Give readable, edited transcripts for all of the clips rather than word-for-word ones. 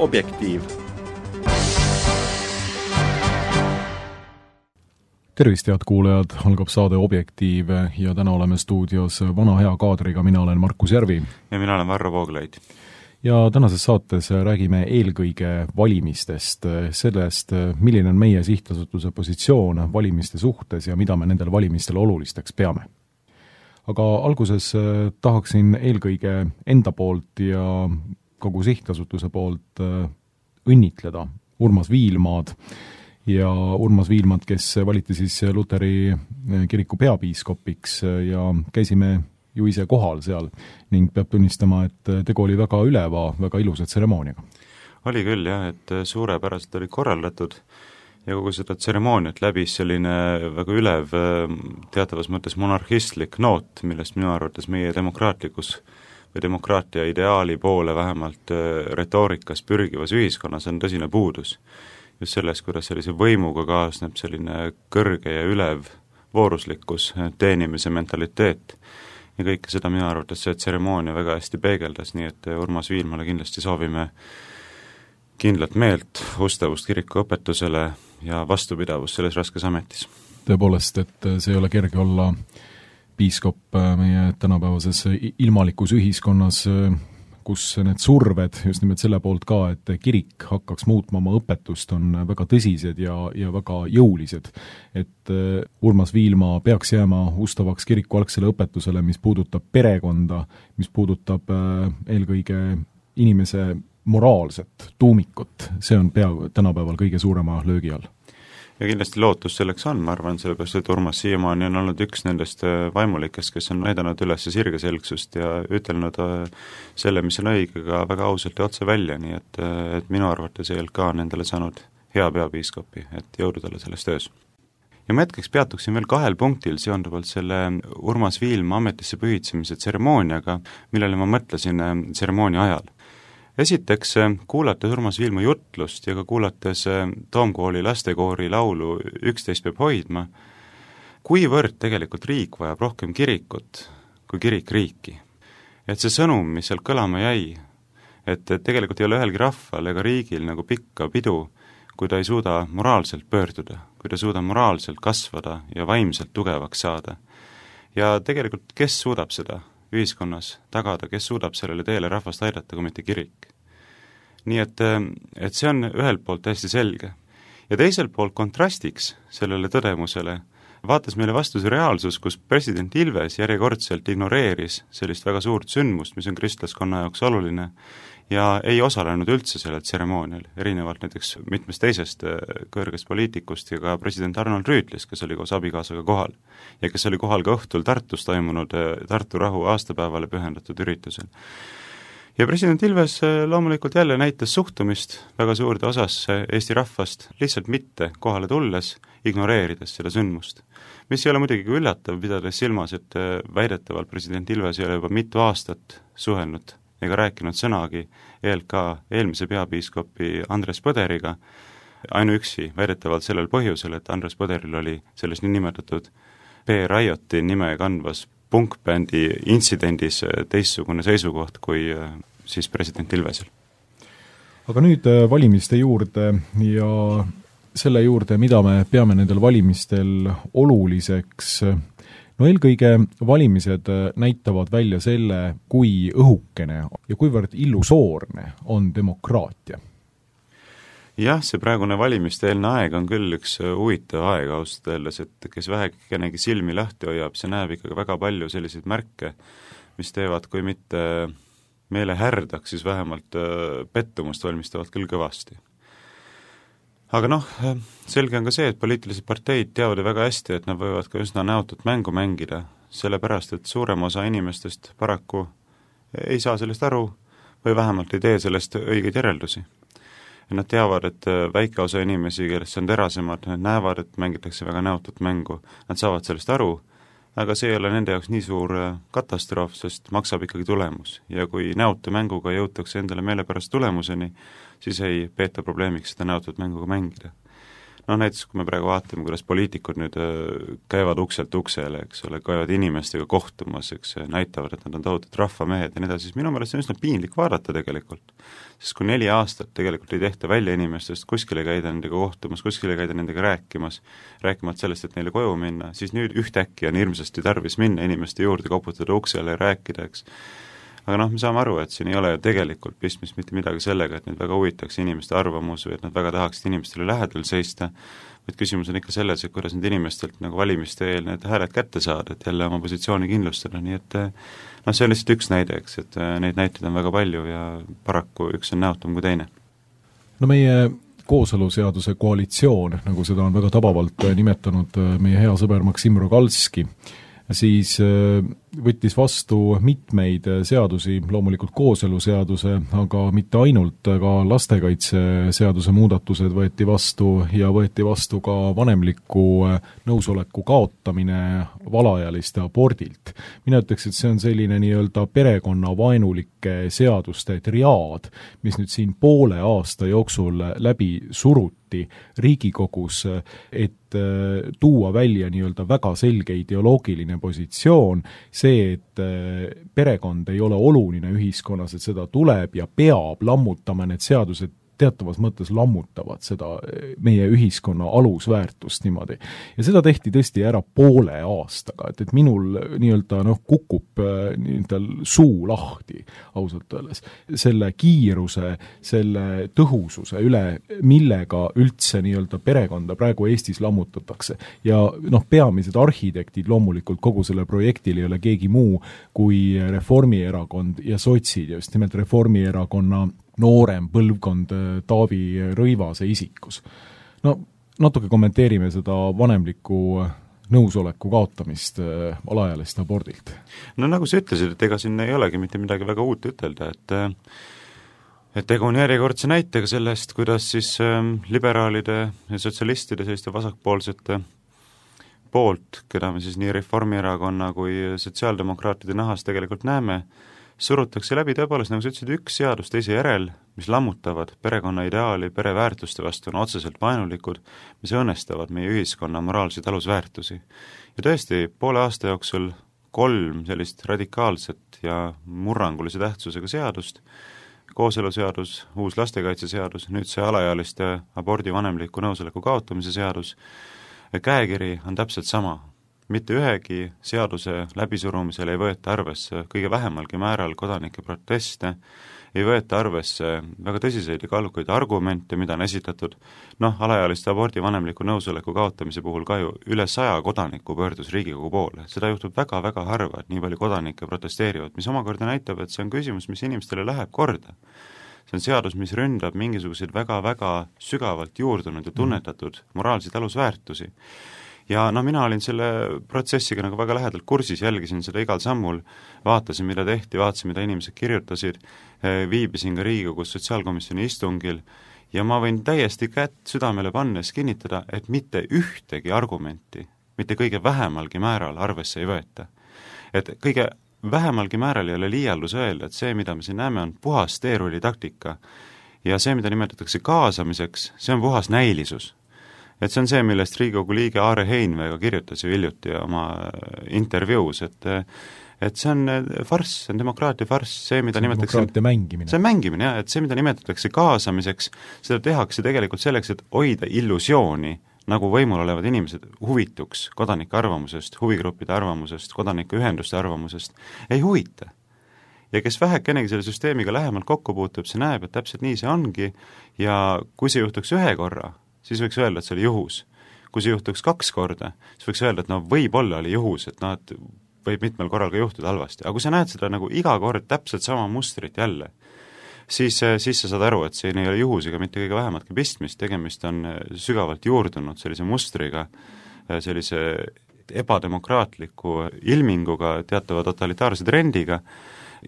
Objektiiv. Tervist, head kuulajad, algab saade Objektiiv ja täna oleme stuudios vana hea kaadriga, mina olen Markus Järvi. Ja mina olen Varro Vooglaid. Ja tänases saates räägime eelkõige valimistest, sellest, milline on meie sihtasutuse positsioon valimiste suhtes ja mida me nendel valimistel olulisteks peame. Aga alguses tahaksin eelkõige enda poolt ja kogu sihtasutuse poolt õnnitleda Urmas Viilmaad ja Urmas Viilmaad, kes valiti siis Luteri kiriku peapiiskopiks ja käisime ju ise kohal seal ning peab tunnistama, et tegu oli väga üleva, väga ilusa tseremooniaga. Oli küll jah, et suurepäraselt oli korraldatud ja kogu seda tseremooniat läbis selline väga ülev, teatavas mõttes monarhistlik noot, millest minu arvates meie demokraatlikus või demokraatia ideaali poole vähemalt retoorikas pürgivas ühiskonnas on tõsine puudus. Just selles, kuidas sellise võimuga kaasneb selline kõrge ja ülev vooruslikkus, teenimise mentaliteet. Ja kõike seda minu arvates see tseremoonia väga hästi peegeldas, nii et Urmas Viilmale kindlasti soovime kindlat meelt, ustavust kiriku õpetusele ja vastupidavust selles raskes ametis. Tõepoolest, et see ei ole kerge olla piiskop meie tänapäevases ilmalikus ühiskonnas, kus need surved, just nimelt selle poolt ka, et kirik hakkaks muutma oma õpetust, on väga tõsised ja väga jõulised. Et Urmas Viilma peaks jääma ustavaks kiriku algsele õpetusele, mis puudutab perekonda, mis puudutab eelkõige inimese moraalset tuumikut. See on tänapäeval kõige suurema löögi all. Ja kindlasti lootus selleks on, ma arvan, sellepärast, et Urmas siiamaani on olnud üks nendest vaimulikest, kes on näidanud üles sirgeselgsust ja ütelnud selle, mis on õigega väga ausalt ja otse välja, nii et minu arvates ei olnud ka nendele saanud hea peapiiskopi, et jõudu talle selles töös. Ja ma hetkeks peatuksin veel 2 punktil seonduvalt selle Urmas Viilma ametisse pühitsemise tseremooniaga, millele ma mõtlesin tseremoonia ajal. Esiteks, kuulates Urmas Viilma jutlust ja ka kuulates Toomkooli lastekoori laulu 11 peab hoidma, kuivõrd tegelikult riik vajab rohkem kirikut kui kirik riiki. Et see sõnum, mis sealt kõlama jäi, et tegelikult ei ole ühelgi rahval ega riigil nagu pikka pidu, kui ta ei suuda moraalselt pöörduda, kui ta suuda moraalselt kasvada ja vaimselt tugevaks saada. Ja tegelikult, kes suudab seda ühiskonnas tagada, kes suudab sellele teele rahvast aidata, kui mitte kirik. Nii et see on ühelt poolt täiesti selge. Ja teiselt poolt kontrastiks sellele tõdemusele vaatas meile vastu see reaalsus, kus president Ilves järjekordselt ignoreeris sellist väga suurt sündmust, mis on kristlaskonna jaoks oluline, ja ei osalenud üldse sellel tseremoonial, erinevalt näiteks mitmest teisest kõrgest poliitikust ja ka president Arnold Rüütlist, kes oli koos abikaasaga kohal ja kes oli kohal ka õhtul Tartus toimunud Tartu rahu aastapäevale pühendatud üritusel. Ja president Ilves loomulikult jälle näitas suhtumist väga suurde osasse Eesti rahvast lihtsalt mitte kohale tulles, ignoreerides seda sündmust. Mis ei ole muidugi üllatav, pidades silmas, et väidetavalt president Ilves ei ole juba mitu aastat suhelnud ega rääkinud sõnagi ELK eelmise peapiiskopi Andres Põderiga, ainuüksi väidetavalt sellel põhjusel, et Andres Põderil oli selles niinimetatud P-Rioti nime kandvas punkbändi intsidendis teistsugune seisukoht kui siis president Ilvesel. Aga nüüd valimiste juurde ja selle juurde, mida me peame nendel valimistel oluliseks. No eelkõige valimised näitavad välja selle, kui õhukene ja kuivõrd illusoorne on demokraatia. Jah, see praegune valimiste-eelne aeg on küll üks huvitav aeg ausalt öeldes, et kes vähekenegi silmi lahti hoiab, see näeb ikkagi väga palju selliseid märke, mis teevad, kui mitte meele härdaks, siis vähemalt pettumust valmistavad küll kõvasti. Aga selge on ka see, et poliitilised parteid teavad väga hästi, et nad võivad ka üsna näotut mängu mängida, sellepärast, et suurem osa inimestest paraku ei saa sellest aru või vähemalt ei tee sellest õigeid järeldusi. Nad teavad, et väike osa inimesi, kellest on terasemad, nad näevad, et mängitakse väga näotut mängu, nad saavad sellest aru, aga see ei ole nende jaoks nii suur katastroof, sest maksab ikkagi tulemus. Ja kui näotu mänguga jõutakse endale meelepärast tulemuseni, siis ei peeta probleemiks seda näotut mänguga mängida. näiteks kui me praegu vaatame, kuidas poliitikud nüüd käivad ukselt uksele, eks ole, käivad inimestega kohtumas, eks, näitavad, et nad on tohutud rahvamehed ja nii edasi, siis minu meelest see on üsna piinlik vaadata tegelikult. Sest kui 4 aastat tegelikult ei tehta välja inimestest, kuskile käida nendega kohtumas, kuskile käida nendega rääkimata sellest, et neile koju minna, siis nüüd ühtäkki on hirmsasti tarvis minna inimeste juurde, koputada uksele ja rääkida, eks. Aga me saame aru, et siin ei ole ju tegelikult pistmist mitte midagi sellega, et neid väga huvitaks inimeste arvamus või et nad väga tahaksid inimestele lähedal seista, vaid küsimus on ikka selles, et kuidas need inimestelt nagu valimiste eel need hääled kätte saada, et jälle oma positsiooni kindlustada, nii et see on lihtsalt üks näide, eks, et neid näiteid on väga palju ja paraku üks on näotum kui teine. Meie kooseluseaduse koalitsioon, nagu seda on väga tabavalt nimetanud meie hea sõber Maksim Rogalski, siis võttis vastu mitmeid seadusi, loomulikult kooseluseaduse, aga mitte ainult, ka lastekaitseseaduse muudatused võeti vastu ka vanemliku nõusoleku kaotamine valaealiste abordilt. Mina ütleks, et see on selline nii-öelda perekonnavaenulike seaduste triaad, mis nüüd siin poole aasta jooksul läbi suruti Riigikogus, et tuua välja nii-öelda väga selge ideoloogiline positsioon, see, et perekond ei ole oluline ühiskonnas, et seda tuleb ja peab lammutama, need seadused teatavas mõttes lammutavad seda meie ühiskonna alusväärtust niimoodi. Ja seda tehti tõesti ära poole aastaga, et minul nii-öelda kukub nii-öelda suu lahti ausalt öeldes. Selle kiiruse, selle tõhususe üle, millega üldse nii-öelda perekonda praegu Eestis lammutatakse. Ja peamised arhitektid loomulikult kogu selle projektil ei ole keegi muu kui Reformierakond ja sotsid ja just nimelt Reformierakonna noorem põlvkond Taavi Rõivase isikus. Natuke kommenteerime seda vanemliku nõusoleku kaotamist alaealiste abordilt. Nagu sa ütlesid, et ega siin ei olegi mitte midagi väga uut ütelda, et tegu on järjekordse näitega sellest, kuidas siis liberaalide ja sotsialistide selliste vasakpoolsete poolt, keda me siis nii Reformierakonna kui sotsiaaldemokraatide nahas tegelikult näeme, surutakse läbi tõepoolest, nagu sa ütlesid, üks seadus teise järel, mis lammutavad perekonna ideaali, pereväärtuste vastu on otseselt vaenulikud, mis õnnestavad meie ühiskonna moraalseid alusväärtusi. Ja tõesti, poole aasta jooksul 3 sellist radikaalset ja murrangulise tähtsusega seadust, kooseluseadus, uus lastekaitseseadus, nüüd see alaealiste abordi vanemliku nõusoleku kaotamise seadus, käekiri on täpselt sama. Mitte ühegi seaduse läbisurumisel ei võeta arvesse kõige vähemalgi määral kodanike proteste, ei võeta arvesse väga tõsiseid ja kaalukaid argumente, mida on esitatud. Alaealiste abordi vanemliku nõusoleku kaotamise puhul ka ju üle 100 kodaniku pöördus Riigikogu poole. Seda juhtub väga-väga harva, et nii palju kodanikke protesteerivad, mis omakorda näitab, et see on küsimus, mis inimestele läheb korda. See on seadus, mis ründab mingisuguseid väga-väga sügavalt juurdunud ja tunnetatud moraalseid alusväärtusi. Ja mina olin selle protsessiga nagu väga lähedalt kursis, jälgisin seda igal sammul, vaatasin, mida tehti, vaatasin, mida inimesed kirjutasid, viibisin ka Riigikogus sotsiaalkomisjoni istungil ja ma võin täiesti kätt südamele pannes kinnitada, et mitte ühtegi argumenti, mitte kõige vähemalgi määral arvesse ei võeta. Et kõige vähemalgi määral ei ole liialdus öelda, et see, mida me siin näeme, on puhas teerulli taktika ja see, mida nimetatakse kaasamiseks, see on puhas näilisus. Et see on see, millest Riigikogu liige Aare Heinvega kirjutas ju hiljuti oma intervjuus, et see on farss, see on demokraatia farss, see, mida nimetatakse demokraatia mängimine. See on mängimine, jah, et see, mida nimetatakse kaasamiseks, seda tehakse tegelikult selleks, et hoida illusiooni, nagu võimul olevad inimesed huvituks kodanike arvamusest, huvigruppide arvamusest, kodanike ühenduste arvamusest, ei huvita. Ja kes vähekenegi selle süsteemiga lähemalt kokku puutub, see näeb, et täpselt nii see ongi ja kui see juhtuks ühe korra, siis võiks öelda, et see oli juhus. Kui see juhtuks 2 korda, siis võiks öelda, et võib-olla oli juhus, et et võib mitmel korral ka juhtuda halvasti. Aga kui sa näed seda nagu iga kord täpselt sama mustrit jälle, siis sa saad aru, et see ei ole juhusega mitte kõige vähematki pistmist, tegemist on sügavalt juurdunud sellise mustriga, sellise ebademokraatliku ilminguga, teatava totalitaarse trendiga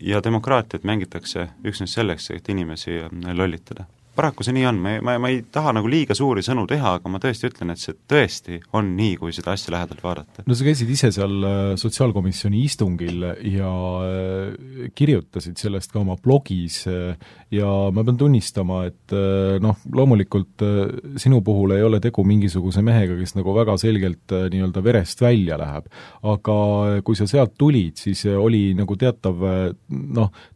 ja demokraatiat mängitakse üksnes selleks, et inimesi lollitada. paraku see nii on, ma ei taha nagu liiga suuri sõnu teha, aga ma tõesti ütlen, et see tõesti on nii, kui seda asja lähedalt vaadata. No sa käisid ise seal sotsiaalkomisjoni istungil ja kirjutasid sellest ka oma blogis ja ma pean tunnistama, et loomulikult sinu puhul ei ole tegu mingisuguse mehega, kes nagu väga selgelt nii-öelda verest välja läheb, aga kui sa sealt tulid, siis oli nagu teatav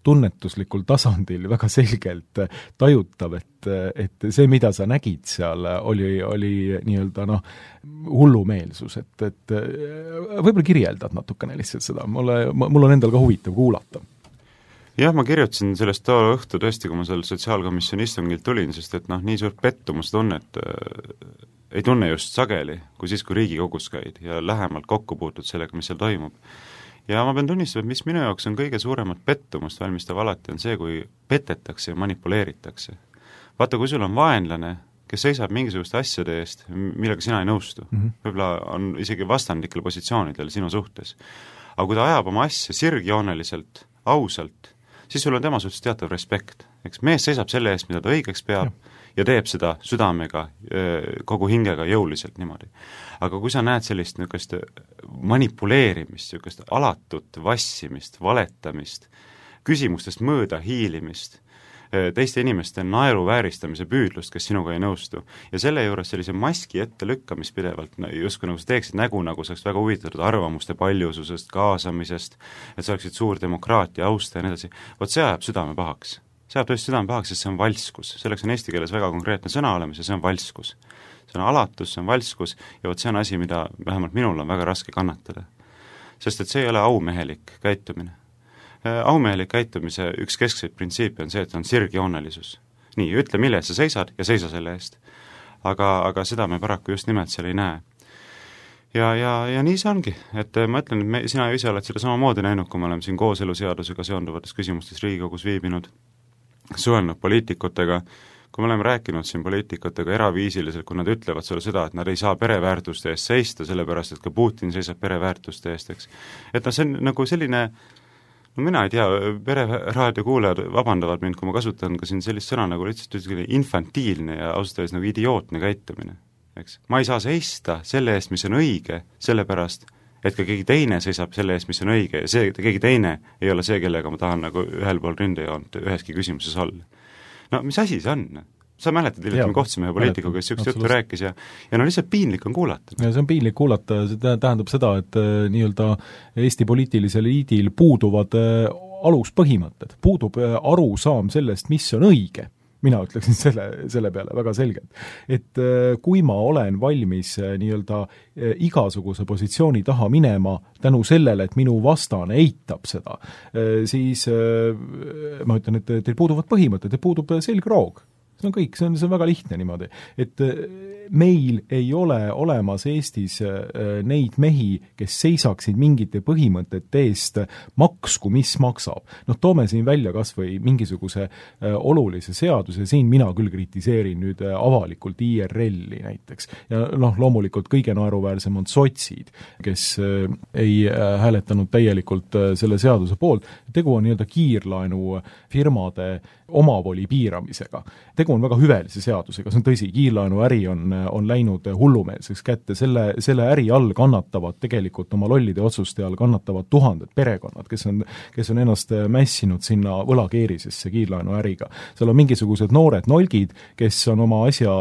tunnetuslikul tasandil väga selgelt tajutav, et see, mida sa nägid seal, oli nii-öelda hullumeelsus, et võib-olla kirjeldad natukene lihtsalt seda, mul on endal ka huvitav kuulata. Jah, ma kirjutasin sellest too õhtu tõesti, kui ma seal sotsiaalkomisjoni istungilt tulin, sest et nii suurt pettumustunnet ei tunne just sageli, kui siis, kui Riigikogus käid ja lähemalt kokku puutud sellega, mis seal toimub. Ja ma pean tunnistama, et mis minu jaoks on kõige suuremat pettumust valmistav alati, on see, kui petetakse ja manipuleeritakse. Vaata, kui sul on vaenlane, kes seisab mingisuguste asjade eest, millega sina ei nõustu, võib-olla on isegi vastandlikel positsioonidel sinu suhtes, aga kui ta ajab oma asja sirgjooneliselt, ausalt, siis sul on tema suhtes teatav respekt. Eks mees seisab selle eest, mida ta õigeks peab ja teeb seda südamega, kogu hingega jõuliselt niimoodi. Aga kui sa näed sellist niisugust manipuleerimist, niisugust alatut vassimist, valetamist, küsimustest mööda hiilimist, teiste inimeste naeruvääristamise püüdlust, kes sinuga ei nõustu. Ja selle juures sellise maski ette lükkamist pidevalt, justkui nagu sa teeksid nägu, nagu sa oleks väga huvitatud arvamuste paljususest, kaasamisest, et sa oleksid suur demokraatia, austa ja nii edasi. Vot see ajab südame pahaks. See ajab tõesti südame pahaks, sest see on valskus. Selleks on eesti keeles väga konkreetne sõna olemas ja see on valskus. See on alatus, see on valskus ja vot see on asi, mida vähemalt minul on väga raske kannatada. Sest et see ei ole aumehelik käitumine. Aumehelik käitumise üks keskseid printsiipe on see, et on sirgjoonelisus. Nii, ütle, mille sa seisad ja seisa selle eest. Aga seda me paraku just nimelt seal ei näe. Ja nii see ongi, et ma ütlen, et sina ise oled seda samamoodi näinud, kui me oleme siin kooseluseadusega seonduvates küsimustes Riigikogus viibinud, suhelnud poliitikutega, kui me oleme rääkinud siin poliitikutega eraviisiliselt, kui nad ütlevad sulle seda, et nad ei saa pereväärtuste eest seista, sellepärast et ka Putin seisab pereväärtuste eest, eks. Et see on nagu selline, mina ei tea, pereraadio kuulajad vabandavad mind, kui ma kasutan ka siin sellist sõna nagu lihtsalt infantiilne ja ausalt öeldes nagu idiootne käitumine, eks. Ma ei saa seista selle eest, mis on õige, sellepärast, et ka keegi teine seisab selle eest, mis on õige ja see keegi teine ei ole see, kellega ma tahan nagu ühel pool rindejoont üheski küsimuses olla. No mis asi see on? Sa mäletad, et me kohtusime ühe poliitikuga, kes sükst juttu rääkis ja lihtsalt piinlik on kuulata. Ja see on piinlik kuulata, see tähendab seda, et nii-öelda Eesti poliitilisel eliidil puuduvad aluspõhimõtted, puudub arusaam sellest, mis on õige. Mina ütleksin selle peale väga selgelt. Et kui ma olen valmis nii-öelda igasuguse positsiooni taha minema tänu sellele, et minu vastane eitab seda, siis ma ütlen, et teil puuduvad põhimõtted, teil puudub selgroog. See on kõik, see on väga lihtne niimoodi, et meil ei ole olemas Eestis neid mehi, kes seisaksid mingite põhimõtete eest maksku, mis maksab. Toome siin välja kas või mingisuguse olulise seaduse, siin mina küll kritiseerin nüüd avalikult IRL-i näiteks. Ja loomulikult kõige naeruväärsem on sotsid, kes ei hääletanud täielikult selle seaduse poolt. Tegu on nii-öelda kiirlaenu firmade omavoli piiramisega. Tegu on väga hüvelise seadusega, see on tõsi, kiirlaenu äri on läinud hullumeelseks kätte, selle äri all kannatavad tegelikult oma lollide otsuste all kannatavad tuhanded perekonnad, kes on ennast mässinud sinna võlakeerisesse kiirlaenu äriga. Seal on mingisugused noored nolgid, kes on oma asja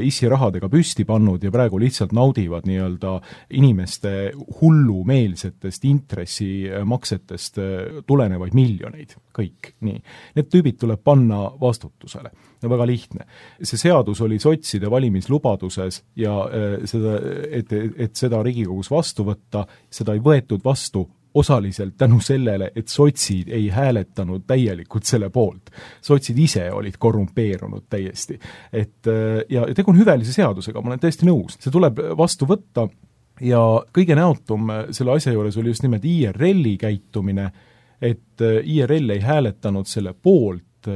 issirahadega püsti pannud ja praegu lihtsalt naudivad nii-öelda inimeste hullumeelsetest intressimaksetest tulenevaid miljoneid, kõik. Nii. Need tüübid tuleb panna vastutusele. Ja väga lihtne. See seadus oli sotside valimislubaduses ja et seda Riigikogus vastu võtta, seda ei võetud vastu osaliselt tänu sellele, et sotsid ei hääletanud täielikult selle poolt. Sotsid ise olid korrumpeerunud täiesti. Ja tegu on hüvelise seadusega, ma olen täiesti nõus. See tuleb vastu võtta ja kõige näotum selle asja juures oli just nimelt IRL-i käitumine, et IRL ei hääletanud selle poolt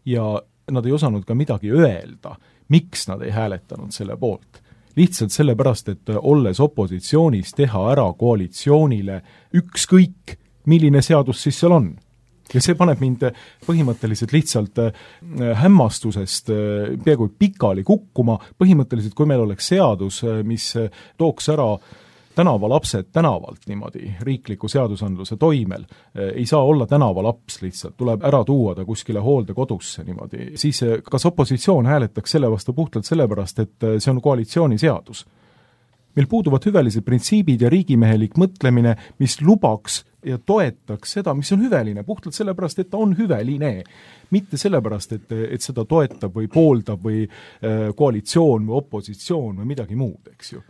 ja nad ei osanud ka midagi öelda, miks nad ei hääletanud selle poolt. Lihtsalt sellepärast, et olles opositsioonis teha ära koalitsioonile ükskõik, milline seadus siis seal on. ja see paneb mind põhimõtteliselt lihtsalt hämmastusest peaaegu pikali kukkuma. Põhimõtteliselt, kui meil oleks seadus, mis tooks ära tänavalapsed tänavalt niimoodi riikliku seadusandluse toimel, ei saa olla tänavalaps lihtsalt, tuleb ära tuua ta kuskile hooldekodusse niimoodi, siis kas opositsioon hääletaks selle vastu puhtalt sellepärast, et see on koalitsiooniseadus? Meil puuduvad hüvelised printsiibid ja riigimehelik mõtlemine, mis lubaks ja toetaks seda, mis on hüveline, puhtalt sellepärast, et ta on hüveline. Mitte sellepärast, et seda toetab või pooldab või koalitsioon või opositsioon või midagi muud, eks ju.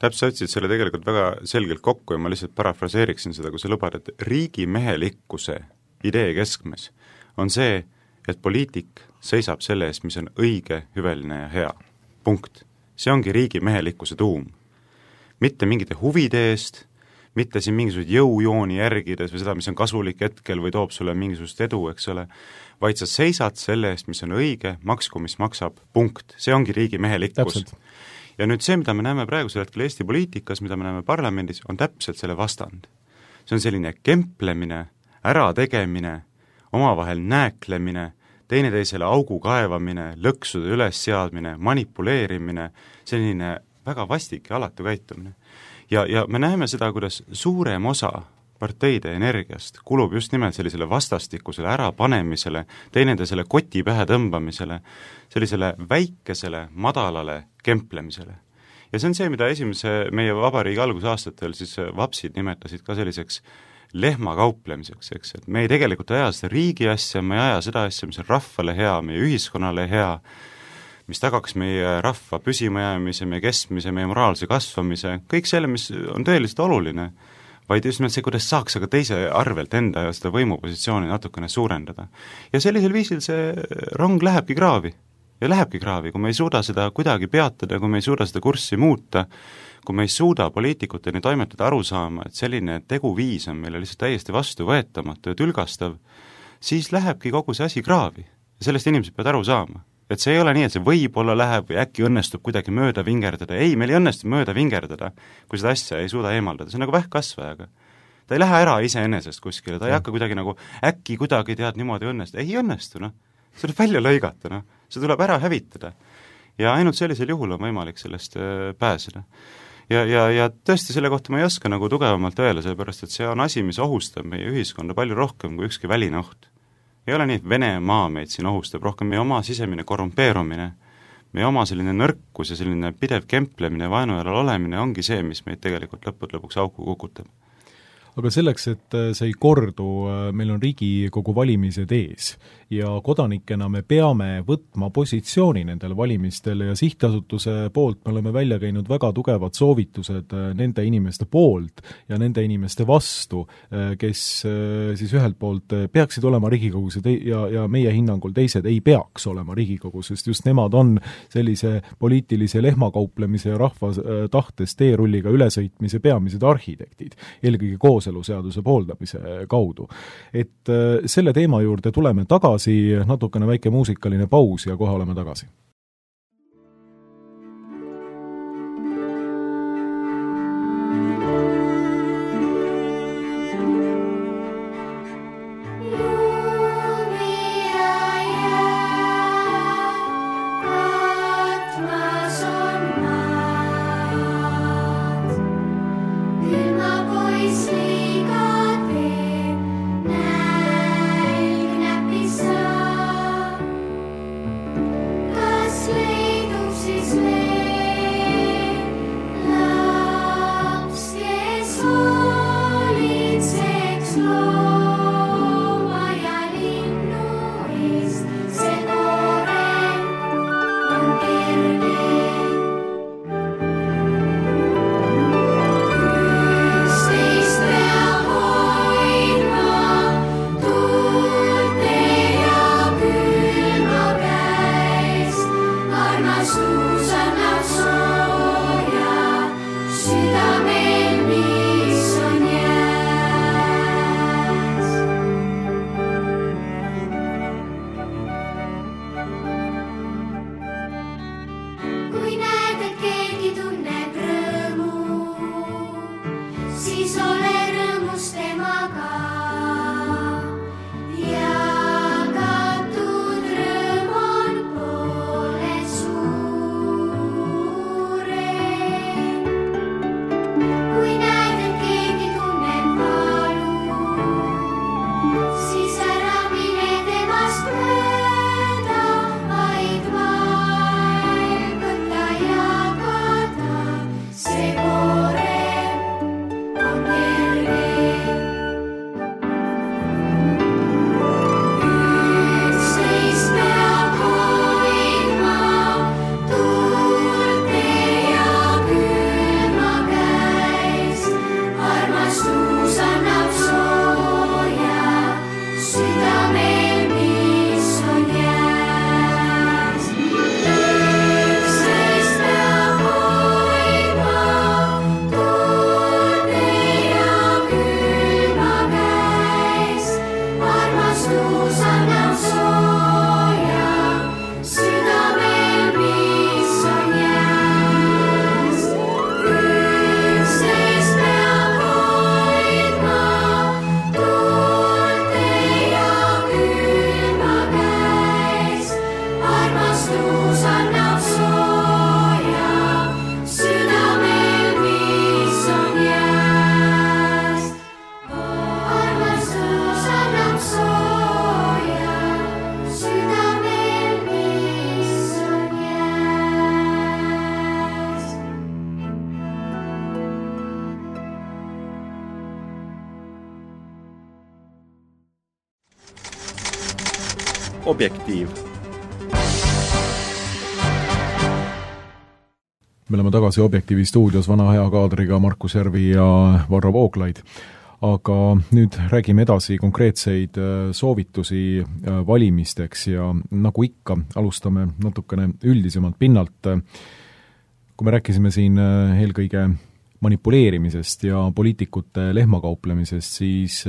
Täpselt otsid selle tegelikult väga selgelt kokku ja ma lihtsalt parafraseeriksin seda, kui sa lubad, et riigimehelikkuse idee keskmes on see, et poliitik seisab selle eest, mis on õige, hüveline ja hea. Punkt. See ongi riigimehelikkuse tuum. Mitte mingite huvide eest, mitte siin mingisugused jõujooni järgides või seda, mis on kasulik hetkel või toob sulle mingisugust edu, eks ole, vaid sa seisad selle eest, mis on õige, maksku, mis maksab, punkt. See ongi riigimehelikkus. Ja nüüd see, mida me näeme praegusel hetkel Eesti poliitikas, mida me näeme parlamendis, on täpselt selle vastand. See on selline kemplemine, ärategemine, omavahel nääklemine, teineteisele augu kaevamine, lõksude ülesseadmine, manipuleerimine, selline väga vastik ja alatu käitumine. Ja me näeme seda, kuidas suurem osa parteide energiast kulub just nimelt sellisele vastastikusele ärapanemisele, teineteisele koti pähe tõmbamisele, sellisele väikesele, madalale kemplemisele. Ja see on see, mida esimese meie vabariigi algusaastatel siis vapsid nimetasid ka selliseks lehmakauplemiseks, eks, et me ei tegelikult aja seda riigi asja, me ei aja seda asja, mis on rahvale hea, meie ühiskonnale hea, mis tagaks meie rahva püsimajäämise, meie kestmise, meie moraalse kasvamise, kõik selle, mis on tõeliselt oluline, vaid just nimelt see, kuidas saaks aga teise arvelt enda ja seda võimupositsiooni natukene suurendada. Ja sellisel viisil see rong lähebki kraavi. Ja lähebki kraavi, kui me ei suuda seda kuidagi peatada, kui me ei suuda seda kurssi muuta, kui me ei suuda poliitikuteni toimetada aru saama, et selline teguviis on meile lihtsalt täiesti vastuvõetamatu ja tülgastav, siis lähebki kogu see asi kraavi. Ja sellest inimesed peavad aru saama. Et see ei ole nii, et see võib-olla läheb või äkki õnnestub kuidagi mööda vingerdada. Ei, meil ei õnnestu mööda vingerdada, kui seda asja ei suuda eemaldada. See on nagu vähkkasvajaga. Ta ei lähe ära iseenesest kuskile, ta ei hakka kuidagi nagu äkki kuidagi tead niimoodi õnnestu. Ei õnnestu, noh. See tuleb välja lõigata, noh. See tuleb ära hävitada. Ja ainult sellisel juhul on võimalik sellest pääseda. Ja tõesti selle kohta ma ei oska nagu tugevamalt öelda, sellepärast et see on asi, mis ohustab meie ühiskonda palju rohkem kui ükski väline oht. Ei ole nii, et Venemaa meid siin ohustab rohkem, meie oma sisemine korrumpeerumine, meie oma selline nõrkus ja selline pidev kemplemine, vaenujalal olemine ongi see, mis meid tegelikult lõpuks auku kukutab. Aga selleks, et see ei kordu, meil on Riigikogu valimised ees ja kodanikena me peame võtma positsiooni nendel valimistel ja sihtasutuse poolt me oleme välja käinud väga tugevad soovitused nende inimeste poolt ja nende inimeste vastu, kes siis ühelt poolt peaksid olema Riigikogus ja meie hinnangul teised ei peaks olema Riigikogus, sest just nemad on sellise poliitilise lehmakauplemise ja rahva tahtes teerulliga ülesõitmise peamised arhitektid, eelkõige kooseluseaduse pooldamise kaudu. Et selle teema juurde tuleme tagasi, natukene väike muusikaline paus ja kohe oleme tagasi. Siis ole rõõmus temaga Objektiiv. Me oleme tagasi Objektiivi stuudios vana hea kaadriga Markus Järvi ja Varro Vooglaid. Aga nüüd räägime edasi konkreetseid soovitusi valimisteks ja nagu ikka, alustame natukene üldisemalt pinnalt. Kui me rääkisime siin eelkõige manipuleerimisest ja poliitikute lehmakauplemisest, siis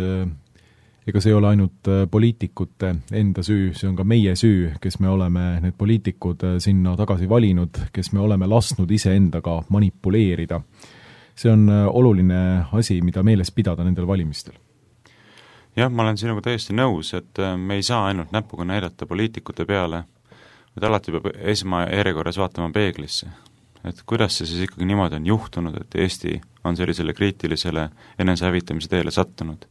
ega see ei ole ainult poliitikute enda süü, see on ka meie süü, kes me oleme need poliitikud sinna tagasi valinud, kes me oleme lasknud iseendaga manipuleerida. See on oluline asi, mida meeles pidada nendel valimistel. Jah, ma olen sinuga täiesti nõus, et me ei saa ainult näpuga näidata poliitikute peale, et alati peab esmajärjekorras vaatama peeglisse. Et kuidas see siis ikkagi niimoodi on juhtunud, et Eesti on sellisele kriitilisele enesehävitamise teele sattunud.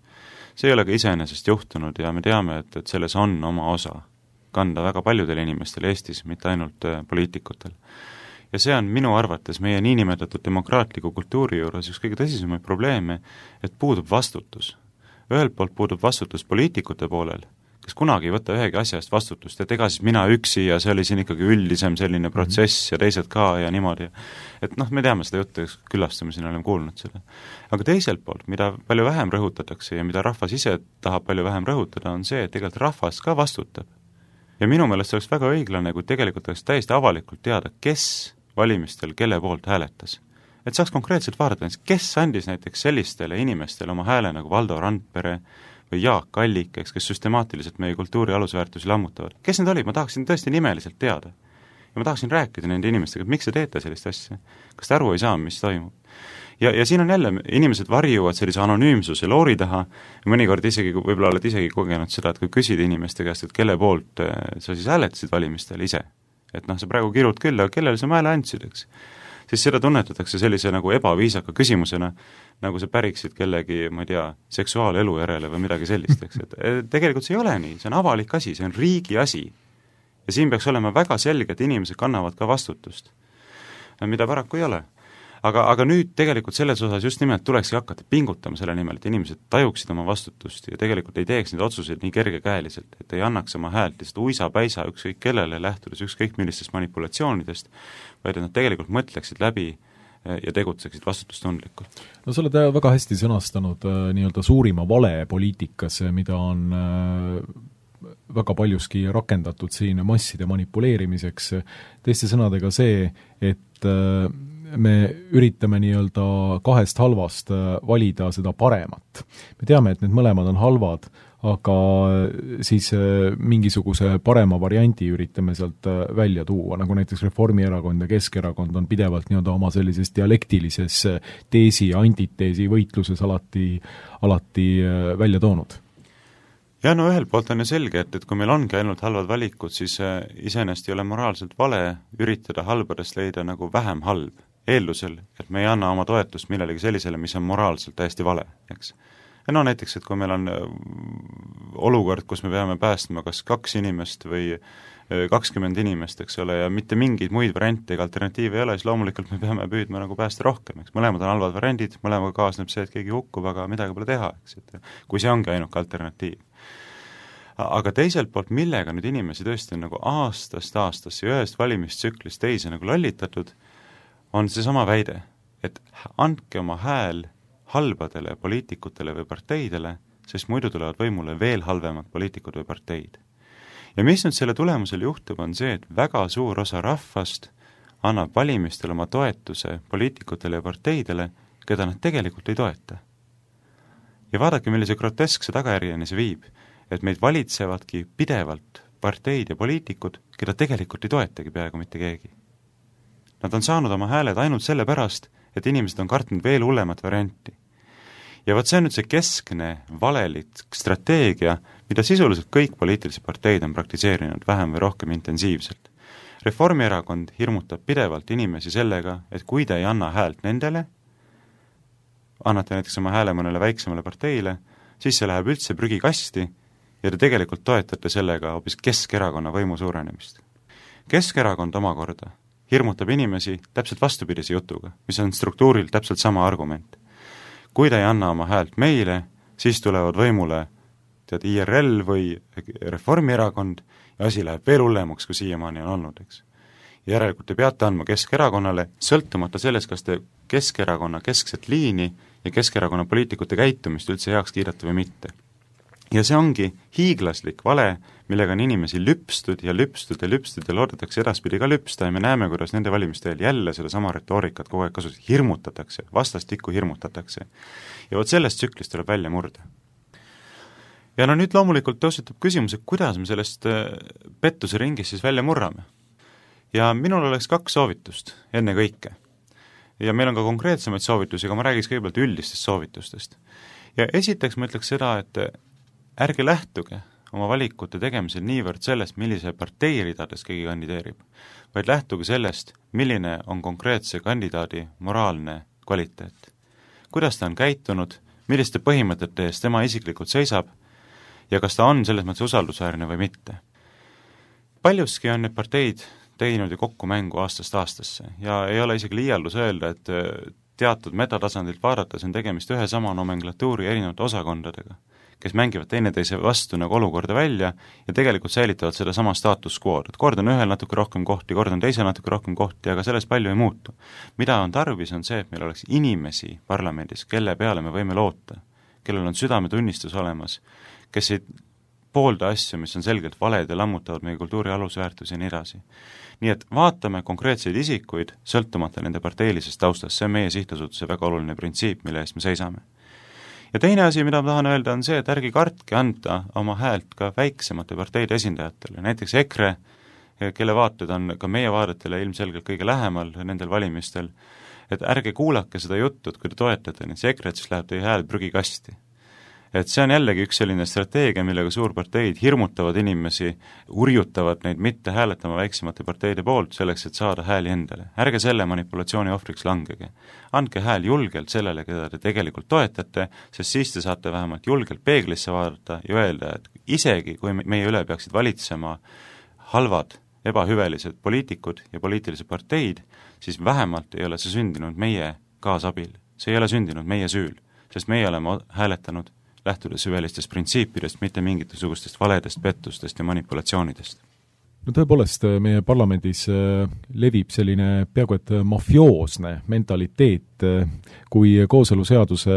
See ei ole ka iseenesest juhtunud ja me teame, et selles on oma osa kanda väga paljudel inimestel Eestis, mitte ainult poliitikutel. Ja see on minu arvates meie niinimetatud demokraatliku kultuuri juures üks kõige tõsisemaid probleeme, et puudub vastutus. Ühelt poolt puudub vastutus poliitikute poolel, kes kunagi ei võta ühegi asja eest vastutust, et ega siis mina üksi ja see oli siin ikkagi üldisem selline protsess ja teised ka ja niimoodi. Et me teame seda juttu, külastame siin, oleme kuulnud seda. Aga teiselt poolt, mida palju vähem rõhutatakse ja mida rahvas ise tahab palju vähem rõhutada, on see, et tegelikult rahvas ka vastutab. Ja minu meelest oleks väga õiglane, kui tegelikult oleks täiesti avalikult teada, kes valimistel kelle poolt hääletas. Et saaks konkreetselt vaadata, kes andis näiteks sellistele inimestele oma hääle nagu Valdo Randpere või Jaak Allik, kes süstemaatiliselt meie kultuuri alusväärtusi lammutavad. Kes need olid? Ma tahaksin tõesti nimeliselt teada. Ja ma tahaksin rääkida nende inimestega, et miks te teete sellist asja? Kas te aru ei saa, mis toimub? Ja siin on jälle, inimesed varjuvad sellise anonüümsuse loori taha, mõnikord isegi, võib-olla oled isegi kogenud seda, et kui küsida inimeste käest, et kelle poolt sa siis hääletasid valimistel ise, et sa praegu kirud küll, aga kellele sa hääle andsid, eks? Siis seda tunnetatakse sellise nagu ebaviisaka küsimusena, nagu sa päriksid kellegi, ma ei tea, seksuaalelu järele või midagi sellist, eks? Et tegelikult see ei ole nii, see on avalik asi, see on riigi asi. Ja siin peaks olema väga selge, et inimesed kannavad ka vastutust, mida paraku ei ole. Aga nüüd tegelikult selles osas just nimelt tulekski hakata pingutama selle nimel, et inimesed tajuksid oma vastutust ja tegelikult ei teeks neid otsuseid nii kergekäeliselt, et ei annaks oma häält lihtsalt uisa-päisa ükskõik kellele lähtudes ükskõik millistest manipulatsioonidest, vaid et nad tegelikult mõtleksid läbi ja tegutseksid vastutustundlikult. No sa oled väga hästi sõnastanud nii-öelda suurima vale poliitikas, mida on väga paljuski rakendatud siin masside manipuleerimiseks. Teiste sõnadega see, et me üritame nii-öelda kahest halvast valida seda paremat. Me teame, et need mõlemad on halvad, aga siis mingisuguse parema variandi üritame sealt välja tuua, nagu näiteks Reformierakond ja Keskerakond on pidevalt nii-öelda oma sellises dialektilises teesi ja antiteesi võitluses alati välja toonud. Ja no ühelt poolt on ju selge, et kui meil ongi ainult halvad valikud, siis iseenesest ei ole moraalselt vale üritada halbadest leida nagu vähem halb, eeldusel, et me ei anna oma toetust millelegi sellisele, mis on moraalselt täiesti vale, eks. Ja no näiteks, et kui meil on olukord, kus me peame päästma kas 2 inimest või 20 inimest, eks ole, ja mitte mingeid muid variante ega alternatiive ei ole, siis loomulikult me peame püüdma nagu päästa rohkem, eks. Mõlemad on halvad variandid, mõlemaga kaasneb see, et keegi hukkub, aga midagi pole teha, eks, et kui see ongi ainuke alternatiiv. Aga teiselt poolt, millega nüüd inimesi tõesti on nagu aastast aastasse ja ühest valimistsüklist teise nagu lollitatud, on see sama väide, et andke oma hääl halbadele poliitikutele või parteidele, sest muidu tulevad võimule veel halvemad poliitikud või parteid. Ja mis nüüd selle tulemusel juhtub, on see, et väga suur osa rahvast annab valimistel oma toetuse poliitikutele ja parteidele, keda nad tegelikult ei toeta. Ja vaadake, millise groteskse tagajärjeni see viib, et meid valitsevadki pidevalt parteid ja poliitikud, keda tegelikult ei toetagi peaaegu mitte keegi. Nad on saanud oma hääled ainult selle pärast, et inimesed on kartnud veel hullemat varianti. Ja võt see on nüüd see keskne valelik strateegia, mida sisuliselt kõik poliitilised parteid on praktiseerinud vähem või rohkem intensiivselt. Reformierakond hirmutab pidevalt inimesi sellega, et kui te ei anna häält nendele, annate näiteks oma hääle mõnele väiksemale parteile, siis see läheb üldse prügikasti ja te tegelikult toetate sellega hoopis Keskerakonna võimu suurenemist. Keskerakond omakorda hirmutab inimesi täpselt vastupidise jutuga, mis on struktuuril täpselt sama argument. Kui te ei anna oma häält meile, siis tulevad võimule IRL või Reformierakond asi läheb veel hullemaks, kui siiamaani on olnud, eks. Järelikult te peate andma Keskerakonnale, sõltumata sellest, kas te Keskerakonna keskset liini ja Keskerakonna poliitikute käitumist üldse heaks kiidate või mitte. Ja see ongi hiiglaslik vale, millega on inimesi lüpstud ja loodetakse edaspidi ka lüpsta ja me näeme, kuidas nende valimiste eel jälle seda sama retoorikat kogu aeg kasutada, hirmutatakse, vastastikku hirmutatakse. Ja vot sellest tsüklist tuleb välja murda. Ja no nüüd loomulikult tõusetub küsimus, et kuidas me sellest pettuse ringis siis välja murrame. Ja minul oleks 2 soovitust enne kõike. Ja meil on ka konkreetsemaid soovitusi, aga ma räägiks kõigepealt üldistest soovitustest. Ja esiteks ma ütleks seda, et ärge lähtuge oma valikute tegemisel niivõrd sellest, millise partei ridades keegi kandideerib, vaid lähtuge sellest, milline on konkreetse kandidaadi moraalne kvaliteet. Kuidas ta on käitunud, milliste põhimõtete eest tema isiklikult seisab ja kas ta on selles mõttes usaldusväärne või mitte. Paljuski on need parteid teinud ju kokku mängu aastast aastasse ja ei ole isegi liialdus öelda, et teatud metatasandilt vaadates on tegemist ühe sama nomenklatuuri erinevate osakondadega, kes mängivad teineteise vastu nagu olukorda välja ja tegelikult säilitavad seda sama status quo'd, et kord on ühel natuke rohkem kohti, kord on teisel natuke rohkem kohti, aga sellest palju ei muutu. Mida on tarvis, on see, et meil oleks inimesi parlamendis, kelle peale me võime loota, kellel on südametunnistus olemas, kes ei poolda asju, mis on selgelt valed ja lammutavad meie kultuuri alusväärtusi ja nii edasi. Nii et vaatame konkreetseid isikuid, sõltumata nende parteilisest taustast, see on meie sihtasutuse väga oluline printsiip, mille eest me seisame. Ja teine asi, mida ma tahan öelda, on see, et ärge kartke anda oma häält ka väiksemate parteide esindajatele, näiteks EKRE, kelle vaated on ka meie vaadetele ilmselgelt kõige lähemal nendel valimistel, et ärge kuulake seda juttu, et kui te toetate neid EKRE-t, siis läheb teie hääl prügikasti. Et see on jällegi üks selline strateegia, millega suurparteid hirmutavad inimesi, urjutavad neid mitte hääletama väiksemate parteide poolt selleks, et saada hääli endale. Ärge selle manipulatsiooni ohvriks langege. Andke hääl julgelt sellele, keda te tegelikult toetate, sest siis te saate vähemalt julgelt peeglisse vaadata ja öelda, et isegi kui meie üle peaksid valitsema halvad, ebahüvelised poliitikud ja poliitilised parteid, siis vähemalt ei ole see sündinud meie kaasabil. See ei ole sündinud meie süül, sest meie oleme hääletanud lähtudes süvelistest printsiipidest, mitte mingisugustest valedest, pettustest ja manipulatsioonidest. No tõepoolest, meie parlamendis levib selline peaaegu et mafioosne mentaliteet, kui kooseluseaduse